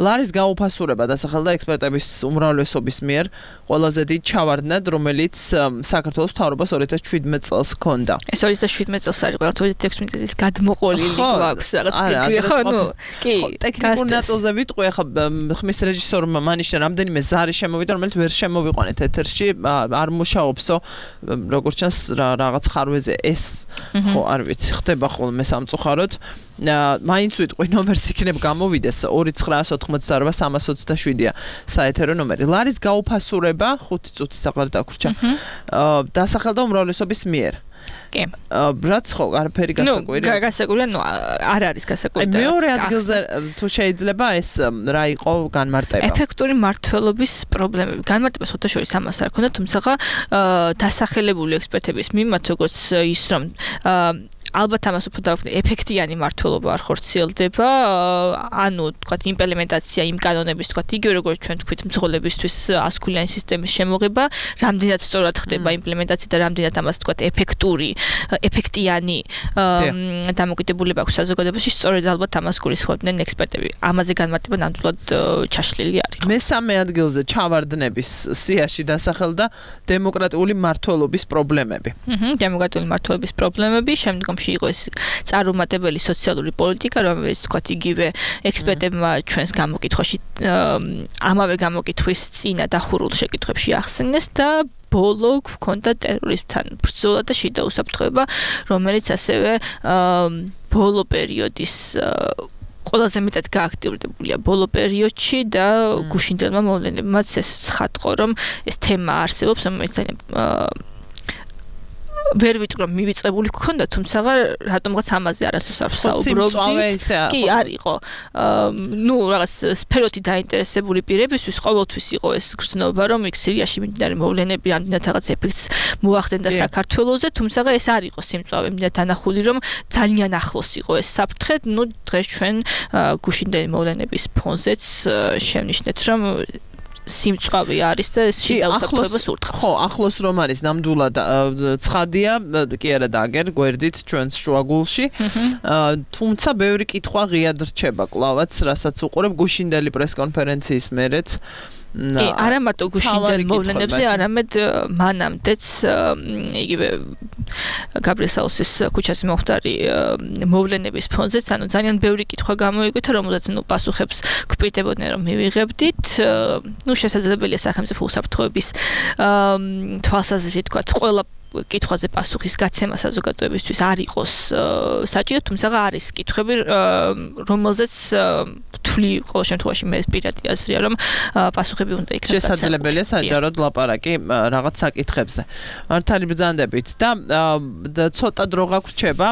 ლარის გაუფასურება დასახელდა ექსპერტების უმრავლესობის მიერ ყველაზე დიდ ჩავარდნად, რომელიც საქართველოს მთავრობას 2017 წელს ჰქონდა. ეს 2017 წელს არის, ყველა 2016 წელს გადმოყოლილი გვაქვს რაღაც ფიქრი, ხო, ნუ, კი, ტექნიკურ ნაწილზე ვიტყვი, ახლა ხმის რეჟისორმა მანიშნა რამდენიმე ზარი შემოვიდა, რომელიც ვერ შემოვიყვანეთ ეთერში, არ მუშაობსო, როგორც ჩანს რაღაც ხარვეზე ეს ხო არ ვიცი, ხდება ხოლმე სამწუხაროდ. მაინც ვიტყვი ნომერს იქნებ გამოვიდეს 2988327-ია საეთერო ნომერი. ლარის გაუფასურება 5 წუთის აღარ დაგვრჩა. დასახელდა უმრავლესობის მიერ. კი. რაც ხო, არაფერი გასაკვირი. ნუ, გასაკვირია, ნუ არ არის გასაკვირი. მეორე ადგილზე თუ შეიძლება ეს რა იყო განმარტება? ეფექტური მმართველობის პრობლემები. განმარტება შეთაშორის ამას არ ქონდა, თუმცა დასახელებული ექსპერტების მიმართ, როგორც ის რომ ალბათ ამას უფრო დავქნე, ეფექტიანი მმართველობა არ ხორციელდება, ანუ თქვათ იმპლემენტაცია იმ კანონების, თქვათ იგივე როგორც ჩვენ თქვით, მძღოლებისთვის ასკულიანი სისტემის შემოღება, რამდენად სწორად ხდება იმპლემენტაცია და რამდენად ამას თქვათ ეფექტიანი დამოკიდებულება აქვს საზოგადოებაში, სწორედ ალბათ ამას გულისხმობდნენ ექსპერტები. ამაზე განმარტება ნამდვილად ჩაშლილი არის. მესამე ადგილზე ჩავარდნების სიაში დასახელდა დემოკრატიული მმართველობის პრობლემები. დემოკრატიული მმართველობის პრობლემები, შემდგომში იყო ეს წარუმატებელი სოციალური პოლიტიკა, რომელიც თქვათ იგივე ექსპერტებმა ჩვენს გამოკითხვაში ამავე გამოკითხვის წინა დახურულ შეკითხვებში ახსენეს და ბოლო გვქონდა ტერორიზმთან ბრძოლა და შიდა უსაფრთხოება, რომელიც ასევე ბოლო პერიოდის ყველაზე მეტად გააქტიურებულია ბოლო პერიოდში და გუშინდელმა მოვლენებმაც ეს ცხადყო, რომ ეს თემა არსებობს, რომელიც ძალიან ვერ ვიტყვი რომ მივიწყებული გქონდა, თუმცა რატომღაც ამაზე არასდროს არ ვსაუბრობდი. კი, არ იყო. ნუ რაღაც სფეროთი დაინტერესებული პირებისთვის ყოველთვის იყო ეს გრძნობა, რომ იქ სირიაში მიმდინარე მოვლენები რამდენად რაღაც ეფექტს მოახდენდა საქართველოზე, თუმცა ეს არ იყო სიმწვავე, მინდა დანახული რომ ძალიან ახლოს იყო ეს საფრთხე. ნუ დღეს ჩვენ გუშინდელი მოვლენების ფონზეც შევნიშნეთ, რომ სიმწვავე არის და ეს შიდა უსაფრთხოებას ურტყავს. ხო, ახლოს რომ არის ნამდვილად ცხადია, კი არა დაგერ გვერდით ჩვენს შუაგულში. თუმცა ბევრი კითხვა ღიად რჩება კლავაც, რასაც უყურებ გუშინდელი პრესკონფერენციის მერეც. კი, არა მარტო გუშინდელ მოვლენებზე, არამედ მანამდეც იგივე გაბრიესაუსის ქუჩაზე მომხდარი მოვლენების ფონზეც, ანუ ძალიან ბევრი კითხვა გამოიკვეთა, რომელზეც ნუ პასუხებს გვპირდებოდნენ რომ მივიღებდით. ნუ შესაძლებელია სახელმწიფო უსაფრთხოების თვალსაზრისით თქვა ყველა კითხვაზე პასუხის გაცემა საზოგადოებისთვის არ იყოს საჭირო, თუმცა არის კითხვები, რომელზეც თვლი ყოველ შემთხვევაში მე ეს პირადი აზრია რომ პასუხები უნდა იქნას შესაძლებელია საჯაროდ ლაპარაკი რაღაც საკითხებზე მართალი ბრძანდებით და ცოტა დრო გაგვრჩება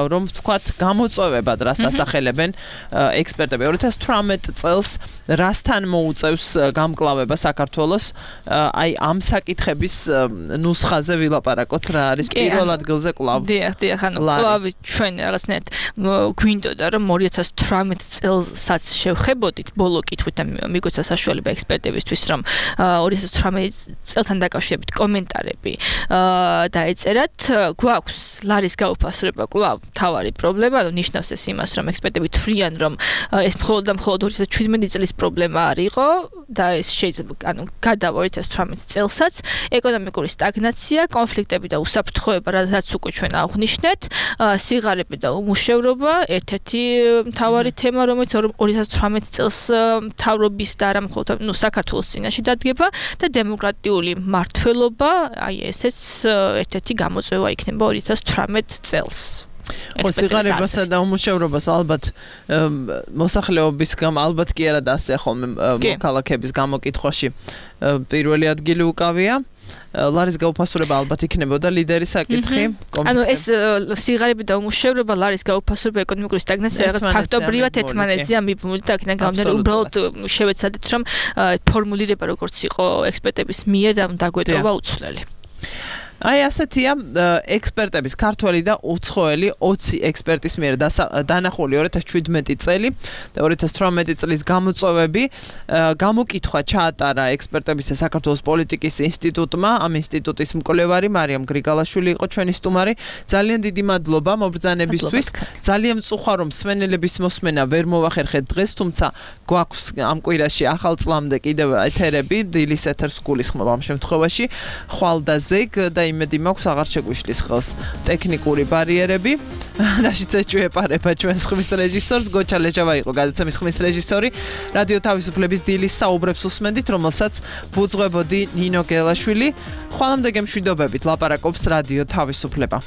რომ ვთქვათ გამოწვევებად რას ასახელებენ ექსპერტები 2018 წელს რასთან მოუწევს გამკლავება საქართველოს აი ამ საკითხების ნუსხაზე ვილაპარაკოთ რა არის პირველ ადგილზე კლავ დიახ ანუ კლავ ჩვენ რაღაცნაირად გვინდოდა რომ 2018 წელსაც შევხებოდით ბოლო კითხვით და მიგვეცა საშუალება ექსპერტებისთვის რომ 2018 წელთან დაკავშირებით კომენტარები დაეწერათ გვაქვს ლარის გაუფასრება კლავ თავარი პრობლემა ანუ ნიშნავს ეს იმას რომ ექსპერტები თვლიან რომ ეს მხოლოდ და მხოლოდ 2017 წლის პრობლემა არ იყო და ეს შეიძლება ანუ გადავა 2018 წელსაც ეკონომიკური სტაგნაცია კონფლიქტები და უსაფრთხოება რაც უკვე ჩვენ აღვნიშნეთ სიღარიბე და უმუშევრობა ერთ-ერთი მთავარი თემა რომელიც 2018 წელს მთავრობის და არა მხოლოდ საქართველოს წინაშე დადგება და დემოკრატიული მართლობა აი ესეც ერთ-ერთი გამოწვევა იქნება 2018 წელს ხო სიღარიბესა და უმუშევრობას ალბათ მოსახლეობის ალბათ კი არა და ასე ხოლმე მოქალაქეების გამოკითხვაში პირველი ადგილი უკავია ლარის გაუფასურება ალბათ იქნებოდა ლიდერის საკითხი ანუ ეს სიღარიბე და უმუშევრობა ლარის გაუფასურება ეკონომიკური სტაგნაცია რაღაც ფაქტობრივად ერთმანეთზე ამიბმული და აქედან გამომდინარე უბრალოდ შევეცადეთ რომ ფორმულირება როგორც იყო ექსპერტების მიერ და დაგვეტყობა უცვლელი აი ასეთია ექსპერტების ქართველი და უცხოელი 20 ექსპერტის მიერ დანახული 2017 წელი და 2018 წლის გამოწვევები გამოკითხვა ჩაატარა ექსპერტების საქართველოს პოლიტიკის ინსტიტუტმა ამ ინსტიტუტის მკვლევარი მარიამ გრიგალაშვილი იყო ჩვენი სტუმარი ძალიან დიდი მადლობა მობრძანებისთვის ძალიან მწუხარ რომ სვენელების მოსმენა ვერ მოვახერხეთ დღეს თუმცა გვაქვს ამ კვირაში ახალ წლამდე კიდევ ეთერები დილის ეთერს გულისხმობ ამ შემთხვევაში ხვალ და ზეგ და იმედი მაქვს აღარ შეგვიშლის ხელს ტექნიკური ბარიერები რაშიც ეჭვეპარება ჩვენს ხმის რეჟისორს გოჩა ლეჟავა იყო გადაცემის ხმის რეჟისორი რადიო თავისუფლების დილის საუბრებს უსმენდით რომელსაც ბუძღვებოდი ნინო გელაშვილი ხვალამდე გემშვიდობებით ლაპარაკობს რადიო თავისუფლება